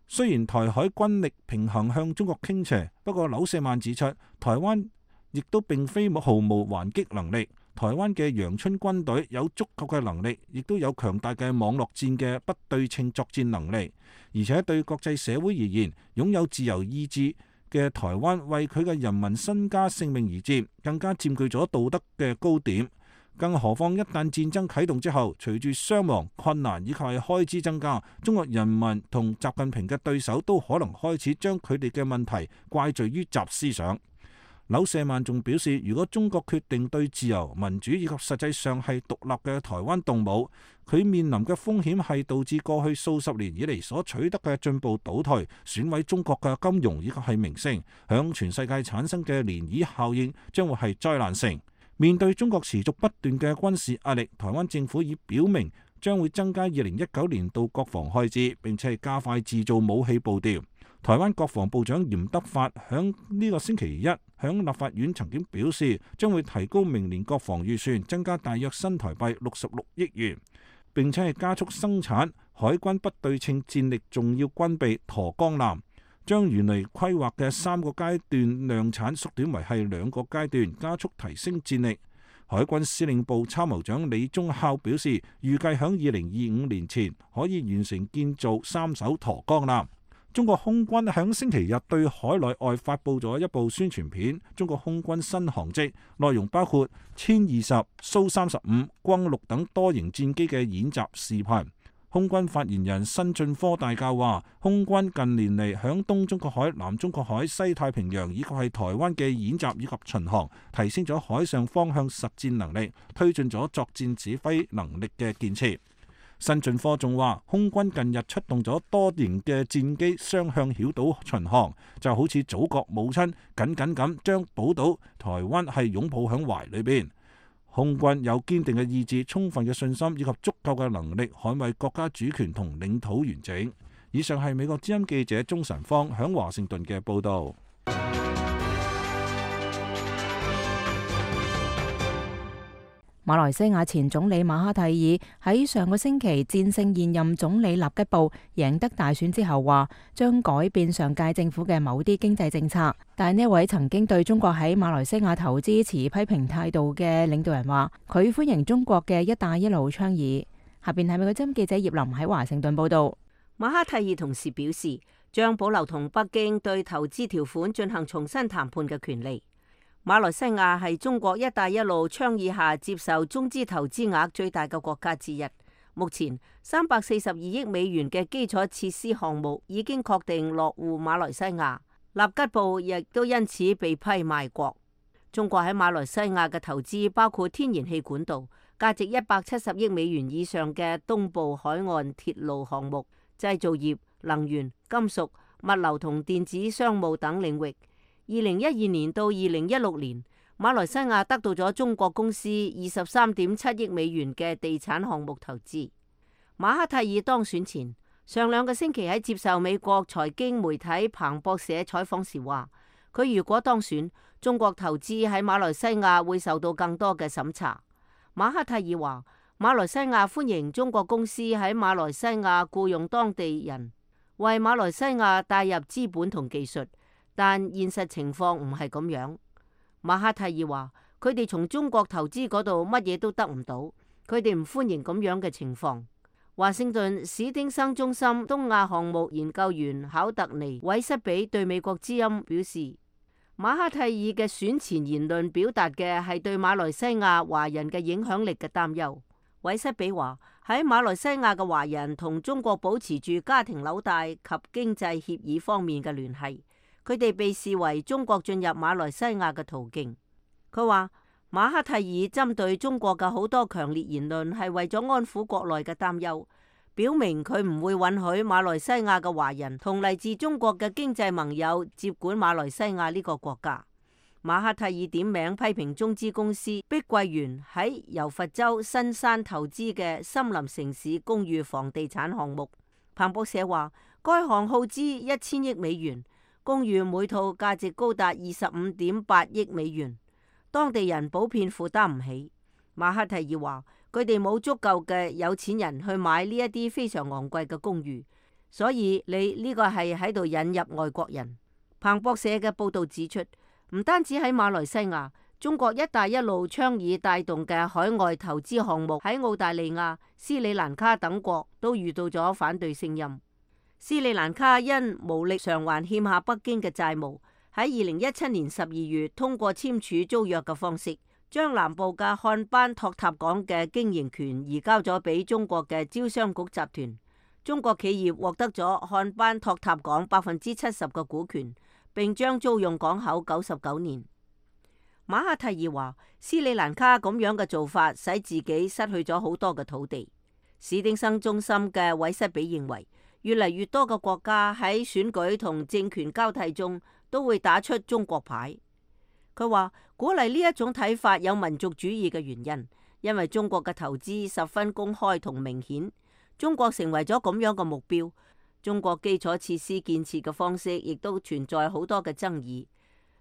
雖然台海軍力平衡向中國傾斜，不過柳舍曼指出，台灣亦都並非毫無還擊能力。台灣嘅陽春軍隊有足夠嘅能力，亦都有強大嘅網絡戰嘅不對稱作戰能力，而且對國際社會而言，擁有自由意志嘅台灣為佢嘅人民身家性命而戰，更加佔據咗道德嘅高點。更何況一旦戰爭啟動之後，隨住傷亡、困難以及係開支增加，中國人民同習近平嘅對手都可能開始將佢哋嘅問題怪罪於習思想。柳舍曼仲表示，如果中國決定對自由、民主以及實際上係獨立嘅台灣動武，佢面臨嘅風險係導致過去數十年以嚟所取得嘅進步倒退，損毀中國嘅金融以及係名聲，響全世界產生嘅漣漪效應將會係災難性。面對中國持續不斷嘅軍事壓力，台灣政府已表明將會增加2019年度國防開支，並且係加快製造武器步調。台灣國防部長嚴德發響呢個星期一響立法院曾經表示，將會提高明年國防預算，增加大約新台幣66億元，並且係加速生產海軍不對稱戰力重要軍備沱江艦，將原嚟規劃嘅3個階段量產縮短為係2個階段，加速提升戰力。海軍司令部參謀長李宗孝表示，預計響2025年前可以完成建造3艘沱江艦。中國空軍響星期日對海內外發布咗一部宣傳片，中國空軍新航跡，內容包括殲20、蘇35、轟6等多型戰機嘅演習視頻。空軍發言人辛俊科大校話，空軍近年嚟響東中國海、南中國海、西太平洋以及係台灣嘅演習以及巡航，提升咗海上方向實戰能力，推進咗作戰指揮能力嘅建設。辛俊科仲話，空軍近日出動咗多型嘅戰機雙向繞島巡航，就好似祖國母親緊緊咁將寶島台灣係擁抱響懷裏邊。空軍有堅定嘅意志、充分嘅信心以及足夠嘅能力捍衛國家主權同領土完整。以上係美國之音記者鍾晨芳響華盛頓嘅報導。馬來西亞前總理馬哈蒂爾喺上個星期戰勝現任總理納吉布，贏得大選之後話將改變上屆政府嘅某啲經濟政策。但呢一位曾經對中國喺馬來西亞投資持批評態度嘅領導人話，佢歡迎中國嘅一帶一路倡議。下邊係美國之音記者葉林喺華盛頓報道。馬哈蒂爾同時表示，將保留同北京對投資條款進行重新談判嘅權利。馬來西亞係中國一帶一路倡議下接受中資投資額最大嘅國家之一。目前342億美元嘅基礎設施項目已經確定落戶馬來西亞，納吉布亦都因此被批賣國。中國喺馬來西亞嘅投資包括天然氣管道、價值170億美元以上嘅東部海岸鐵路項目、製造業、能源、金屬、物流同電子商務等領域。2012年到2016年，馬來西亞得到咗中國公司23.7億美元嘅地產項目投資。馬哈蒂爾當選前，上2個星期喺接受美國財經媒體彭博社採訪時話，佢如果當選，中國投資喺馬來西亞會受到更多嘅審查。馬哈蒂爾話，馬來西亞歡迎中國公司喺馬來西亞僱用當地人，為馬來西亞帶入資本同技術。但現實情況唔係咁樣。馬哈蒂爾話，佢哋從中國投資嗰度乜嘢都得唔到，佢哋唔歡迎咁樣嘅情況。華盛頓史丁生中心東亞項目研究員考特尼韋瑟比對美國之音表示，馬哈蒂爾嘅選前言論表達嘅係對馬來西亞華人嘅影響力嘅擔憂。韋瑟比話，喺馬來西亞嘅華人同中國保持住家庭紐帶及經濟協議方面嘅聯繫。佢哋被視為中國進入馬來西亞嘅途徑。佢話馬哈蒂爾針對中國嘅好多強烈言論係為咗安撫國內嘅擔憂，表明佢唔會允許馬來西亞嘅華人同嚟自中國嘅經濟盟友接管馬來西亞呢個國家。馬哈蒂爾點名批評中資公司碧桂園喺柔佛州新山投資嘅森林城市公寓房地產項目。彭博社話，該項耗資1000億美元。公寓每套價值高達25.8億美元，當地人普遍負擔唔起。馬哈蒂爾話，佢哋冇足夠嘅有錢人去買呢一啲非常昂貴嘅公寓，所以你呢個係喺度引入外國人。彭博社嘅報道指出，唔單止喺馬來西亞，中國一帶一路倡議帶動嘅海外投資項目喺澳大利亞、斯里蘭卡等國都遇到咗反對聲音。斯里蘭卡因無力償還欠下北京嘅債務，喺2017年12月通過簽署租約嘅方式，將南部嘅漢班托塔港嘅經營權移交咗俾中國嘅招商局集團。中國企業獲得咗漢班托塔港70%嘅股權，並將租用港口99年。馬哈蒂爾話，斯里蘭卡咁樣嘅做法使自己失去咗好多嘅土地。史丁生中心嘅韋瑟比認為，越嚟越多嘅國家喺選舉同政權交替中都會打出中國牌。佢話鼓勵呢一種睇法有民族主義嘅原因，因為中國嘅投資十分公開同明顯，中國成為咗咁樣嘅目標。中國基礎設施建設嘅方式亦都存在好多嘅爭議。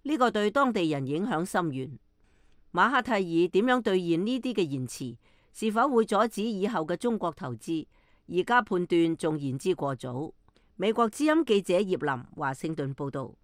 呢個對當地人影響深遠。馬哈蒂爾點樣兌現呢啲嘅言辭，是否會阻止以後嘅中國投資，而家判斷仲言之過早。美國之音記者葉林華盛頓報道。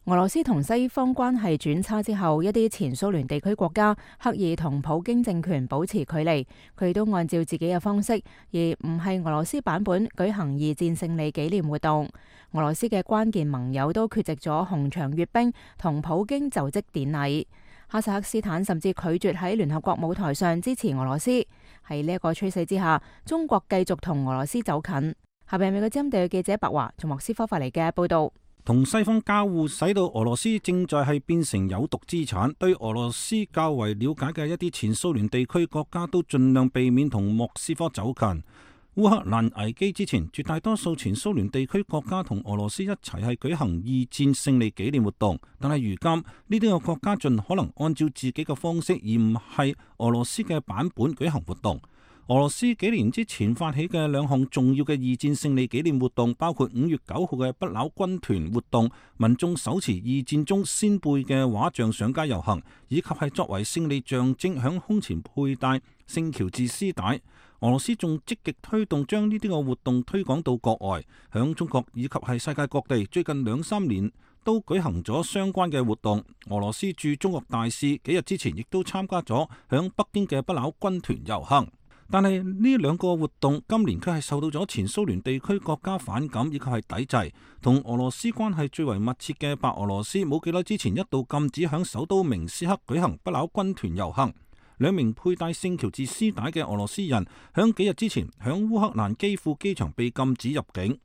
俄羅斯同西方關係轉差之後，一啲前蘇聯地區國家刻意同普京政權保持距離，佢都按照自己嘅方式，而唔係俄羅斯版本舉行二戰勝利紀念活動。俄羅斯嘅關鍵盟友都缺席咗紅場閱兵同普京就職典禮。哈薩克斯坦甚至拒絕喺聯合國舞台上支持俄羅斯。喺呢一個趨勢之下，中國繼續同俄羅斯走近。下邊美國之音地記者白華從莫斯科發嚟嘅報道。同西方交互，使到俄羅斯正在係變成有毒資產。對俄羅斯較為了解嘅一啲前蘇聯地區國家都盡量避免同莫斯科走近。烏克蘭危機之前，絕大多數前蘇聯地區國家同俄羅斯一齊係舉行二戰勝利紀念活動，但係如今呢啲個國家盡可能按照自己嘅方式，而唔係俄羅斯嘅版本舉行活動。俄羅斯幾年之前發起嘅兩項重要嘅二戰勝利紀念活動，包括5月9號嘅不朽軍團活動，民眾手持二戰中先輩嘅畫像上街遊行，以及係作為勝利象徵響胸前佩戴聖喬治絲帶。俄羅斯仲積極推動將呢啲個活動推廣到國外，響中國以及係世界各地，最近2-3年都舉行咗相關嘅活動。俄羅斯駐中國大使幾日之前亦都參加咗響北京嘅不朽軍團遊行。但係呢兩個活動今年卻係受到咗前蘇聯地區國家反感以及係抵制。同俄羅斯關係最為密切嘅白俄羅斯冇幾耐之前一度禁止響首都明斯克舉行不朽軍團遊行。2名佩戴聖喬治絲帶嘅俄羅斯人響幾日之前響烏克蘭基輔機場被禁止入境。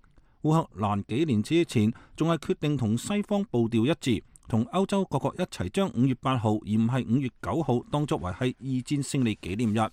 烏克蘭幾年之前仲係決定同西方步調一致，同歐洲各國一齊將5月8號而唔係5月9號當作為係二戰勝利紀念日。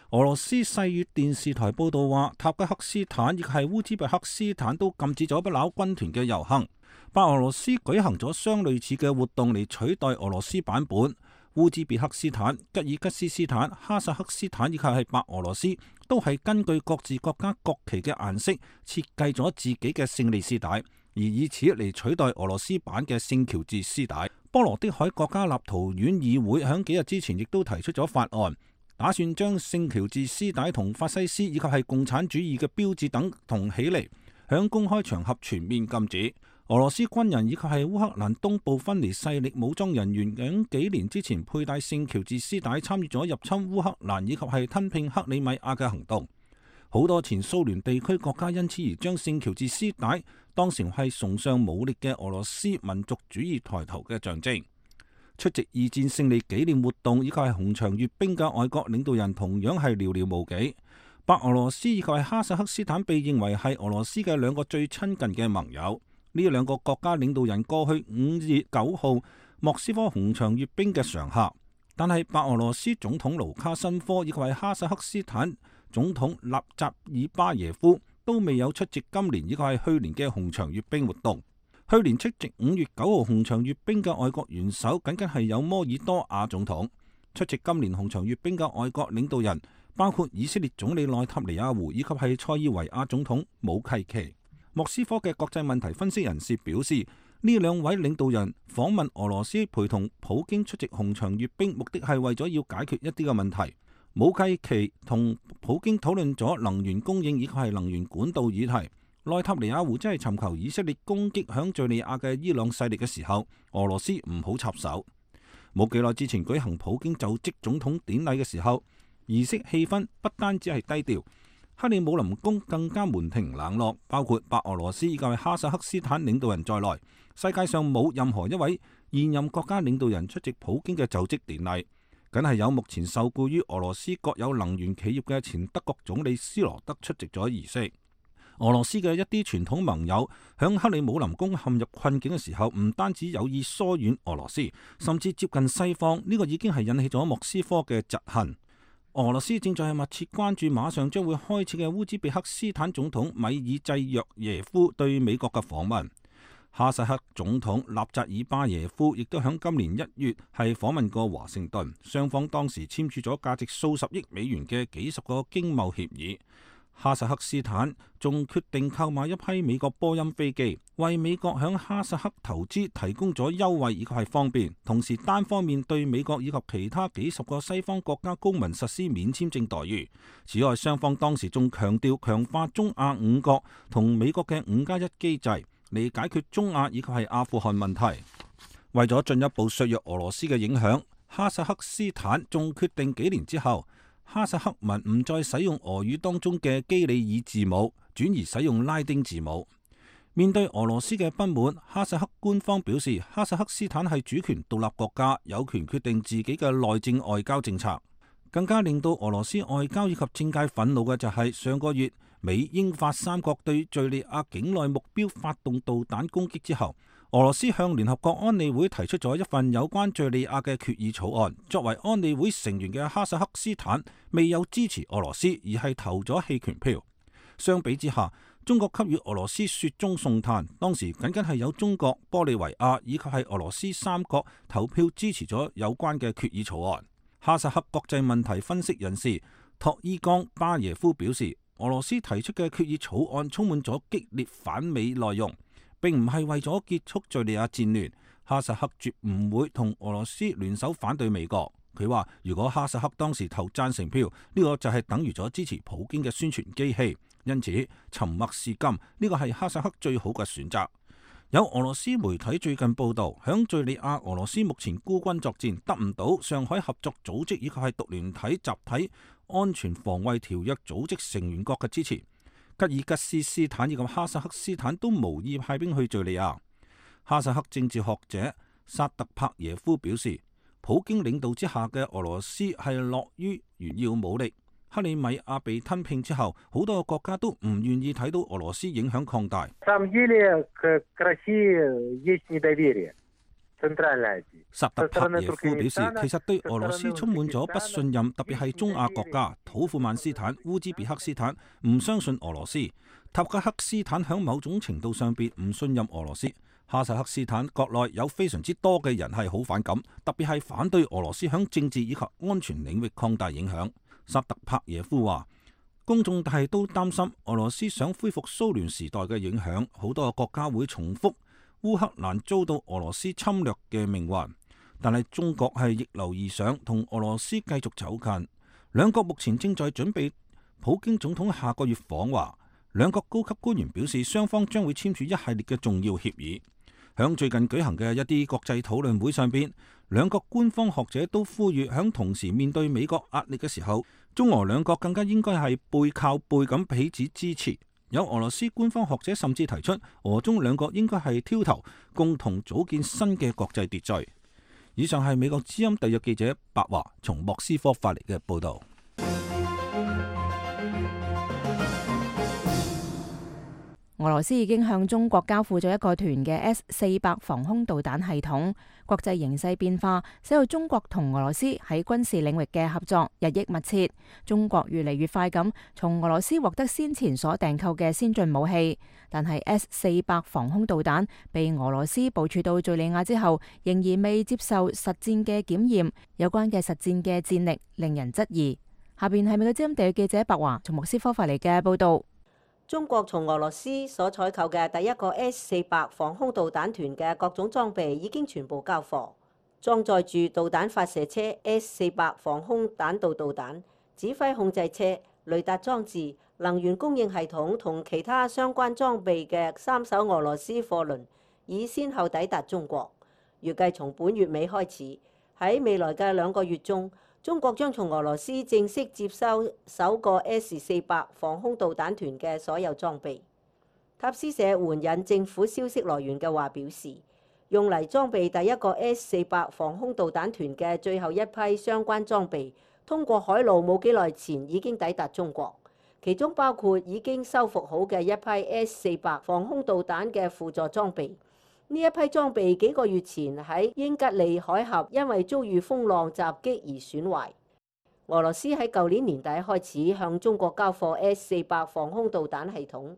俄羅斯世越電視台報道話，塔吉克斯坦亦係烏茲別克斯坦都禁止咗不朽軍團嘅遊行。白俄羅斯舉行咗相類似嘅活動嚟取代俄羅斯版本。烏茲別克斯坦、吉爾吉斯斯坦、哈薩克斯坦以及係白俄羅斯都係根據各自國家國旗嘅顏色設計咗自己嘅勝利絲帶，而以此嚟取代俄羅斯版嘅聖喬治絲帶。波羅的海國家立陶宛議會響幾日之前亦都提出咗法案，打算將聖喬治絲帶同法西斯以及係共產主義嘅標誌等同起嚟，響公開場合全面禁止。俄羅斯軍人以及係烏克蘭東部分離勢力武裝人員喺幾年之前佩戴聖喬治絲帶參與咗入侵烏克蘭以及係吞併克里米亞嘅行動。好多前蘇聯地區國家因此而將聖喬治絲帶當成係崇尚武力嘅俄羅斯民族主義抬頭嘅象徵。出席二戰勝利紀念活動以及係紅場閱兵嘅外國領導人同樣係寥寥無幾。白俄羅斯以及係哈薩克斯坦被認為係俄羅斯嘅兩個最親近嘅盟友。呢兩個國家領導人過去5月9號莫斯科紅場閱兵嘅常客，但係白俄羅斯總統盧卡申科以及係哈薩克斯坦總統納扎爾巴耶夫都未有出席今年以及係去年嘅紅場閱兵活動。去年出席5月9號紅場閱兵嘅外國元首僅僅係有摩爾多瓦總統。出席今年紅場閱兵嘅外國領導人包括以色列總理內塔尼亞胡以及係塞爾維亞總統武契奇。莫斯科嘅國際問題分析人士表示，呢兩位領導人訪問俄羅斯，陪同普京出席紅場閱兵，目的係為咗要解決一啲嘅問題。武契奇同普京討論咗能源供應以及係能源管道議題。內塔尼亞胡真係尋求以色列攻擊響敘利亞嘅伊朗勢力嘅時候，俄羅斯唔好插手。冇幾耐之前舉行普京就職總統典禮嘅時候，儀式氣氛不單止係低調，克里姆林宮更加門庭冷落，包括白俄羅斯以及哈薩克斯坦領導人在內，世界上冇任何一位現任國家領導人出席普京嘅就職典禮，僅係有目前受雇於俄羅斯國有能源企業嘅前德國總理斯羅德出席咗儀式。俄羅斯嘅一啲傳統盟友響克里姆林宮陷入困境嘅時候，唔單止有意疏遠俄羅斯，甚至接近西方，呢個已經係引起咗莫斯科嘅嫉恨。俄羅斯正在密切關注馬上將會開始嘅烏茲別克斯坦總統米爾濟約耶夫對美國嘅訪問。哈薩克總統納扎爾巴耶夫亦都響今年1月係訪問過華盛頓，雙方當時簽署咗價值數十億美元嘅幾十個經貿協議。哈薩克斯坦仲決定購買一批美國波音飛機，為美國響哈薩克投資提供咗優惠以及係方便，同時單方面對美國以及其他幾十個西方國家公民實施免簽證待遇。此外，雙方當時仲強調強化中亞五國同美國嘅5+1機制，嚟解決中亞以及係阿富汗問題。為咗進一步削弱俄羅斯嘅影響，哈薩克斯坦仲決定幾年之後，哈薩克民唔再使用俄語當中嘅基里爾字母，轉而使用拉丁字母。面對俄羅斯嘅不滿，哈薩克官方表示，哈薩克斯坦係主權獨立國家，有權決定自己嘅內政外交政策。更加令到俄羅斯外交以及政界憤怒嘅就係上個月美英法三國對敘利亞境內目標發動導彈攻擊之後，俄羅斯向聯合國安理會提出咗一份有關敘利亞嘅決議草案。作為安理會成員嘅哈薩克斯坦未有支持俄羅斯，而係投咗棄權票。相比之下，中國給予俄羅斯雪中送炭，當時僅僅係有中國、玻利維亞以及係俄羅斯三國投票支持咗有關嘅決議草案。哈薩克國際問題分析人士托伊岡巴耶夫表示，俄羅斯提出嘅決議草案充滿咗激烈反美內容，並唔係為咗結束敘利亞戰亂。哈薩克絕唔會同俄羅斯聯手反對美國。佢話如果哈薩克當時投贊成票，呢個就係等於咗支持普京嘅宣傳機器。因此沉默是金，呢個係哈薩克最好嘅選擇。有俄羅斯媒體最近報道，響敘利亞俄羅斯目前孤軍作戰，得唔到上海合作組織以及係獨聯體集體安全防衛條約組織成員國嘅支持。吉爾吉斯斯坦以及哈薩克斯坦都無意派兵去敘利亞。哈薩克政治學者薩特帕耶夫表示，普京領導之下嘅俄羅斯係樂於炫耀武力。克里米亞被吞併之後，好多個國家都唔願意睇到俄羅斯影響擴大。薩特帕耶夫表示，其實對俄羅斯充滿咗不信任，特別係中亞國家土庫曼斯坦、烏茲別克斯坦唔相信俄羅斯，塔吉克斯坦響某種程度上邊唔信任俄羅斯。哈薩克斯坦國內有非常之多嘅人係好反感，特別係反對俄羅斯響政治以及安全領域擴大影響。薩特帕耶夫話，公眾係都擔心俄羅斯想恢復蘇聯時代嘅影響，好多個國家會重複烏克蘭遭到俄羅斯侵略嘅命運。但係中國係逆流而上，同俄羅斯繼續走近。兩國目前正在準備普京總統下個月訪華，兩國高級官員表示，雙方將會簽署一系列嘅重要協議。響最近舉行嘅一啲國際討論會上邊，兩國官方學者都呼籲，響同時面對美國壓力嘅時候，中俄兩國更加應該係背靠背咁彼此支持。有俄羅斯官方學者甚至提出，俄中兩國應該係挑頭，共同組建新嘅國際秩序。以上係美國之音特約記者白華從莫斯科發嚟嘅報道。俄羅斯已經向中國交付咗一個團嘅 S-400防空導彈系統。國際形勢變化，使到中國同俄羅斯喺軍事領域嘅合作日益密切。中國越嚟越快咁從俄羅斯獲得先前所訂購嘅先進武器，但係 S-400防空導彈被俄羅斯部署到敘利亞之後，仍然未接受實戰嘅檢驗。有關嘅實戰嘅戰力令人質疑。下邊係美國之音特約記者白華從莫斯科發嚟嘅報道。中國從俄羅斯所採購嘅第一個 S-400防空導彈團嘅各種裝備已經全部交貨，裝載住導彈發射車 S-400防空彈道導彈、指揮控制車、雷達裝置、能源供應系統同其他相關裝備嘅3艘俄羅斯貨輪已先後抵達中國。預計從本月尾開始，喺未來嘅2個月中，中國將從俄羅斯正式接收首個 S-400防空導彈團嘅所有裝備。塔斯社援引政府消息來源嘅話表示，用嚟裝備第一個 S-400防空導彈團嘅最後一批相關裝備，通過海路冇幾耐前已經抵達中國，其中包括已經修復好嘅一批 S-400防空導彈嘅輔助裝備。呢一批裝備幾個月前喺英吉利海峽因為遭遇風浪襲擊而損壞。俄羅斯喺舊年年底開始向中國交貨 S-400防空導彈系統，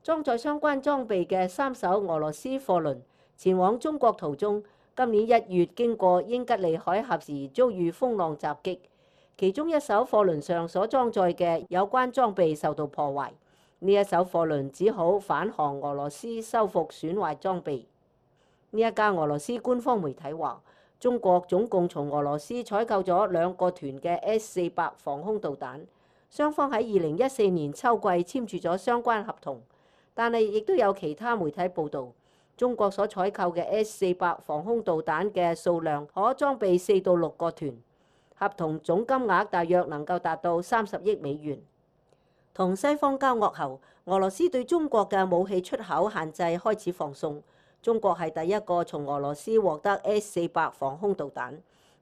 裝載相關裝備嘅3艘俄羅斯貨輪前往中國途中，今年1月經過英吉利海峽時遭遇風浪襲擊，其中一艘貨輪上所裝載嘅有關裝備受到破壞，呢一艘貨輪只好返航俄羅斯修復損壞裝備。呢一家俄羅斯官方媒體話，中國總共從俄羅斯採購咗2個團嘅 S-400防空導彈，雙方喺2014年秋季簽署咗相關合同。但係亦都有其他媒體報導，中國所採購嘅 S-400防空導彈嘅數量可裝備4到6個團，合同總金額大約能夠達到30億美元。同西方交惡後，俄羅斯對中國嘅武器出口限制開始放鬆。中國係第一個從俄羅斯獲得 S-400防空導彈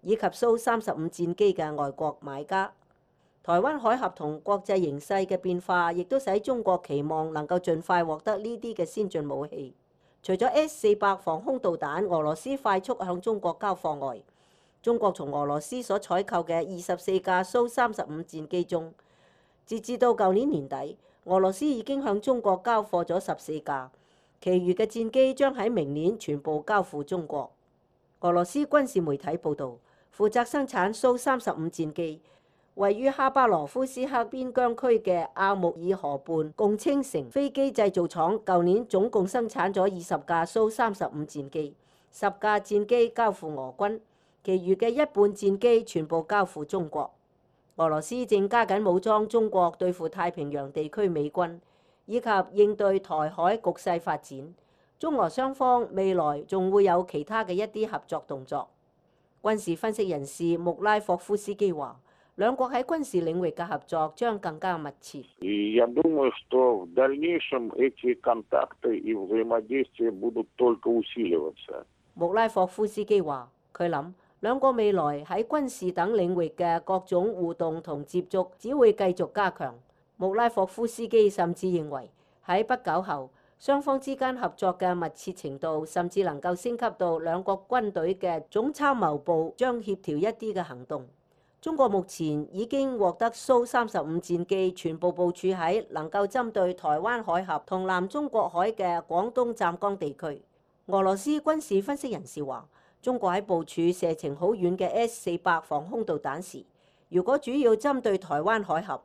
以及蘇35戰機嘅外國買家。台灣海峽同國際形勢嘅變化，亦都使中國期望能夠盡快獲得呢啲嘅先進武器。除咗 S-400防空導彈，俄羅斯快速向中國交貨外，中國從俄羅斯所採購嘅24架蘇35戰機中，截至到舊年年底，俄羅斯已經向中國交貨咗14架，其餘嘅戰機將喺明年全部交付中國。俄羅斯軍事媒體報導，負責生產蘇35戰機，位於哈巴羅夫斯克邊疆區嘅阿穆爾河畔共青城飛機製造廠，舊年總共生產咗20架蘇35戰機，10架戰機交付俄軍，其餘嘅一半戰機全部交付中國。俄羅斯正加緊武裝中國對付太平洋地區美軍，以及應對台海局勢發展。中俄雙方未來仲會有其他嘅一啲合作動作。軍事分析人士穆拉霍夫斯基話，兩國喺軍事領域嘅合作將更加密切。穆拉霍夫斯基話，佢諗兩國未來喺軍事等領域嘅各種互動同接觸只會繼續加強。穆拉霍夫斯基甚至認為喺不久後，雙方之間合作嘅密切程度甚至能夠升級到兩國軍隊嘅總參謀部將協調一啲嘅行動。中國目前已經獲得蘇35戰機全部部署喺能夠針對台灣海峽同南中國海嘅廣東湛江地區。俄羅斯軍事分析人士話，中國喺部署射程好遠嘅 S-400防空導彈時，如果主要針對台灣海峽，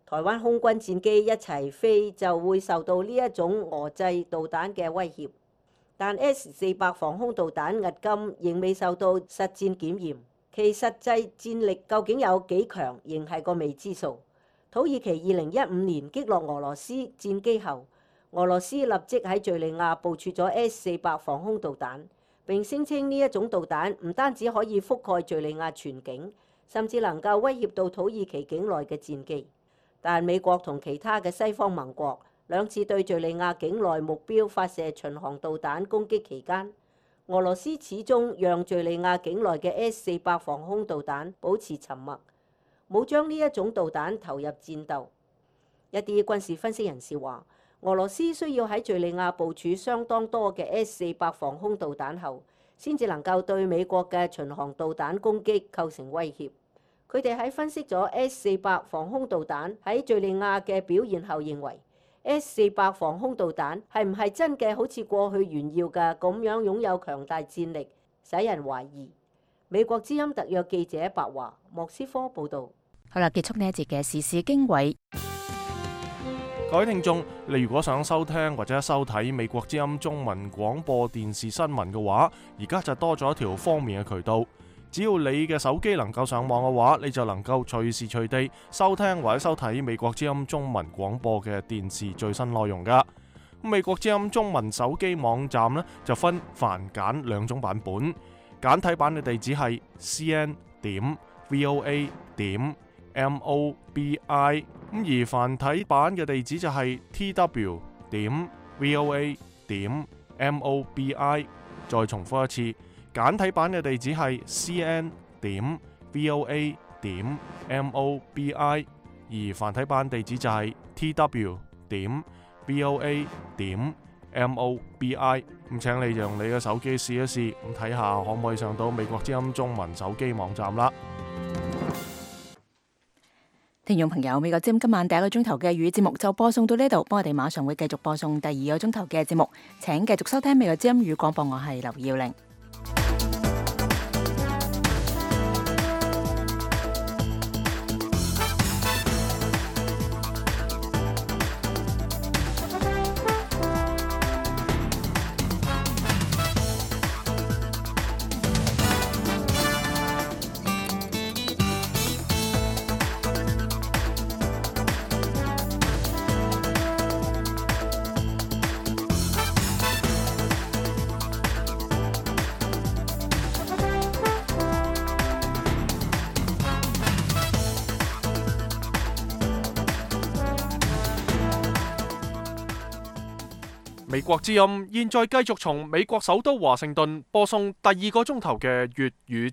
台灣空軍戰機一齊飛就會受到呢一種俄製導彈嘅威脅。但 S-400防空導彈迄今仍未受到實戰檢驗。其實際戰力究竟有幾強，仍係個未知數。土耳其2015年擊落俄羅斯戰機後，俄羅斯立即喺敘利亞部署咗 S-400防空導彈，並聲稱呢一種導彈唔單止可以覆蓋敘利亞全境，甚至能夠威脅到土耳其境內嘅戰機。但美國同其他嘅西方盟國兩次對敘利亞境內目標發射巡航導彈攻擊期間，俄羅斯始終讓敘利亞境內嘅 S-400防空導彈保持沉默，冇將呢一種導彈投入戰鬥。一啲軍事分析人士話，俄羅斯需要喺敘利亞部署相當多嘅 S-400防空導彈後，先至能夠對美國嘅巡航導彈攻擊構成威脅。佢哋喺分析咗 S-400防空導彈喺敘利亞嘅表現後，認為S-400防空導彈係唔係真嘅好似過去炫耀嘅咁樣擁有強大戰力，使人懷疑。美國之音特約記者白華莫斯科報導。好啦，結束呢一節嘅時事經緯。各位聽眾，你如果想收聽或者收睇美國之音中文廣播電視新聞嘅話，而家就多咗一條方便嘅渠道。只要你嘅手機能夠上網嘅話，你就能夠隨時隨地收聽或者收睇美國之音中文廣播嘅電視最新內容噶。美國之音中文手機網站呢，就分繁簡兩種版本，簡體版嘅地址係 cn.voa.mobi， 而繁體版嘅地址就係 tw.voa.mobi。 再重複一次，簡體版嘅地址係 cn.voa.mobi， 而繁體版地址就係 tw.voa.mobi。 咁請你用你嘅手機試一試，咁睇下可唔可以上到美國之音中文手機網站啦。聽眾朋友，美國之音今晚第一個鐘頭嘅粵語節目就播送到呢度，我哋馬上會繼續播送第二個鐘頭嘅節目，請繼續收聽美國之音語廣播，我係劉耀玲。美國之音現在繼續從美國首都華盛頓播送第2個鐘頭嘅粵語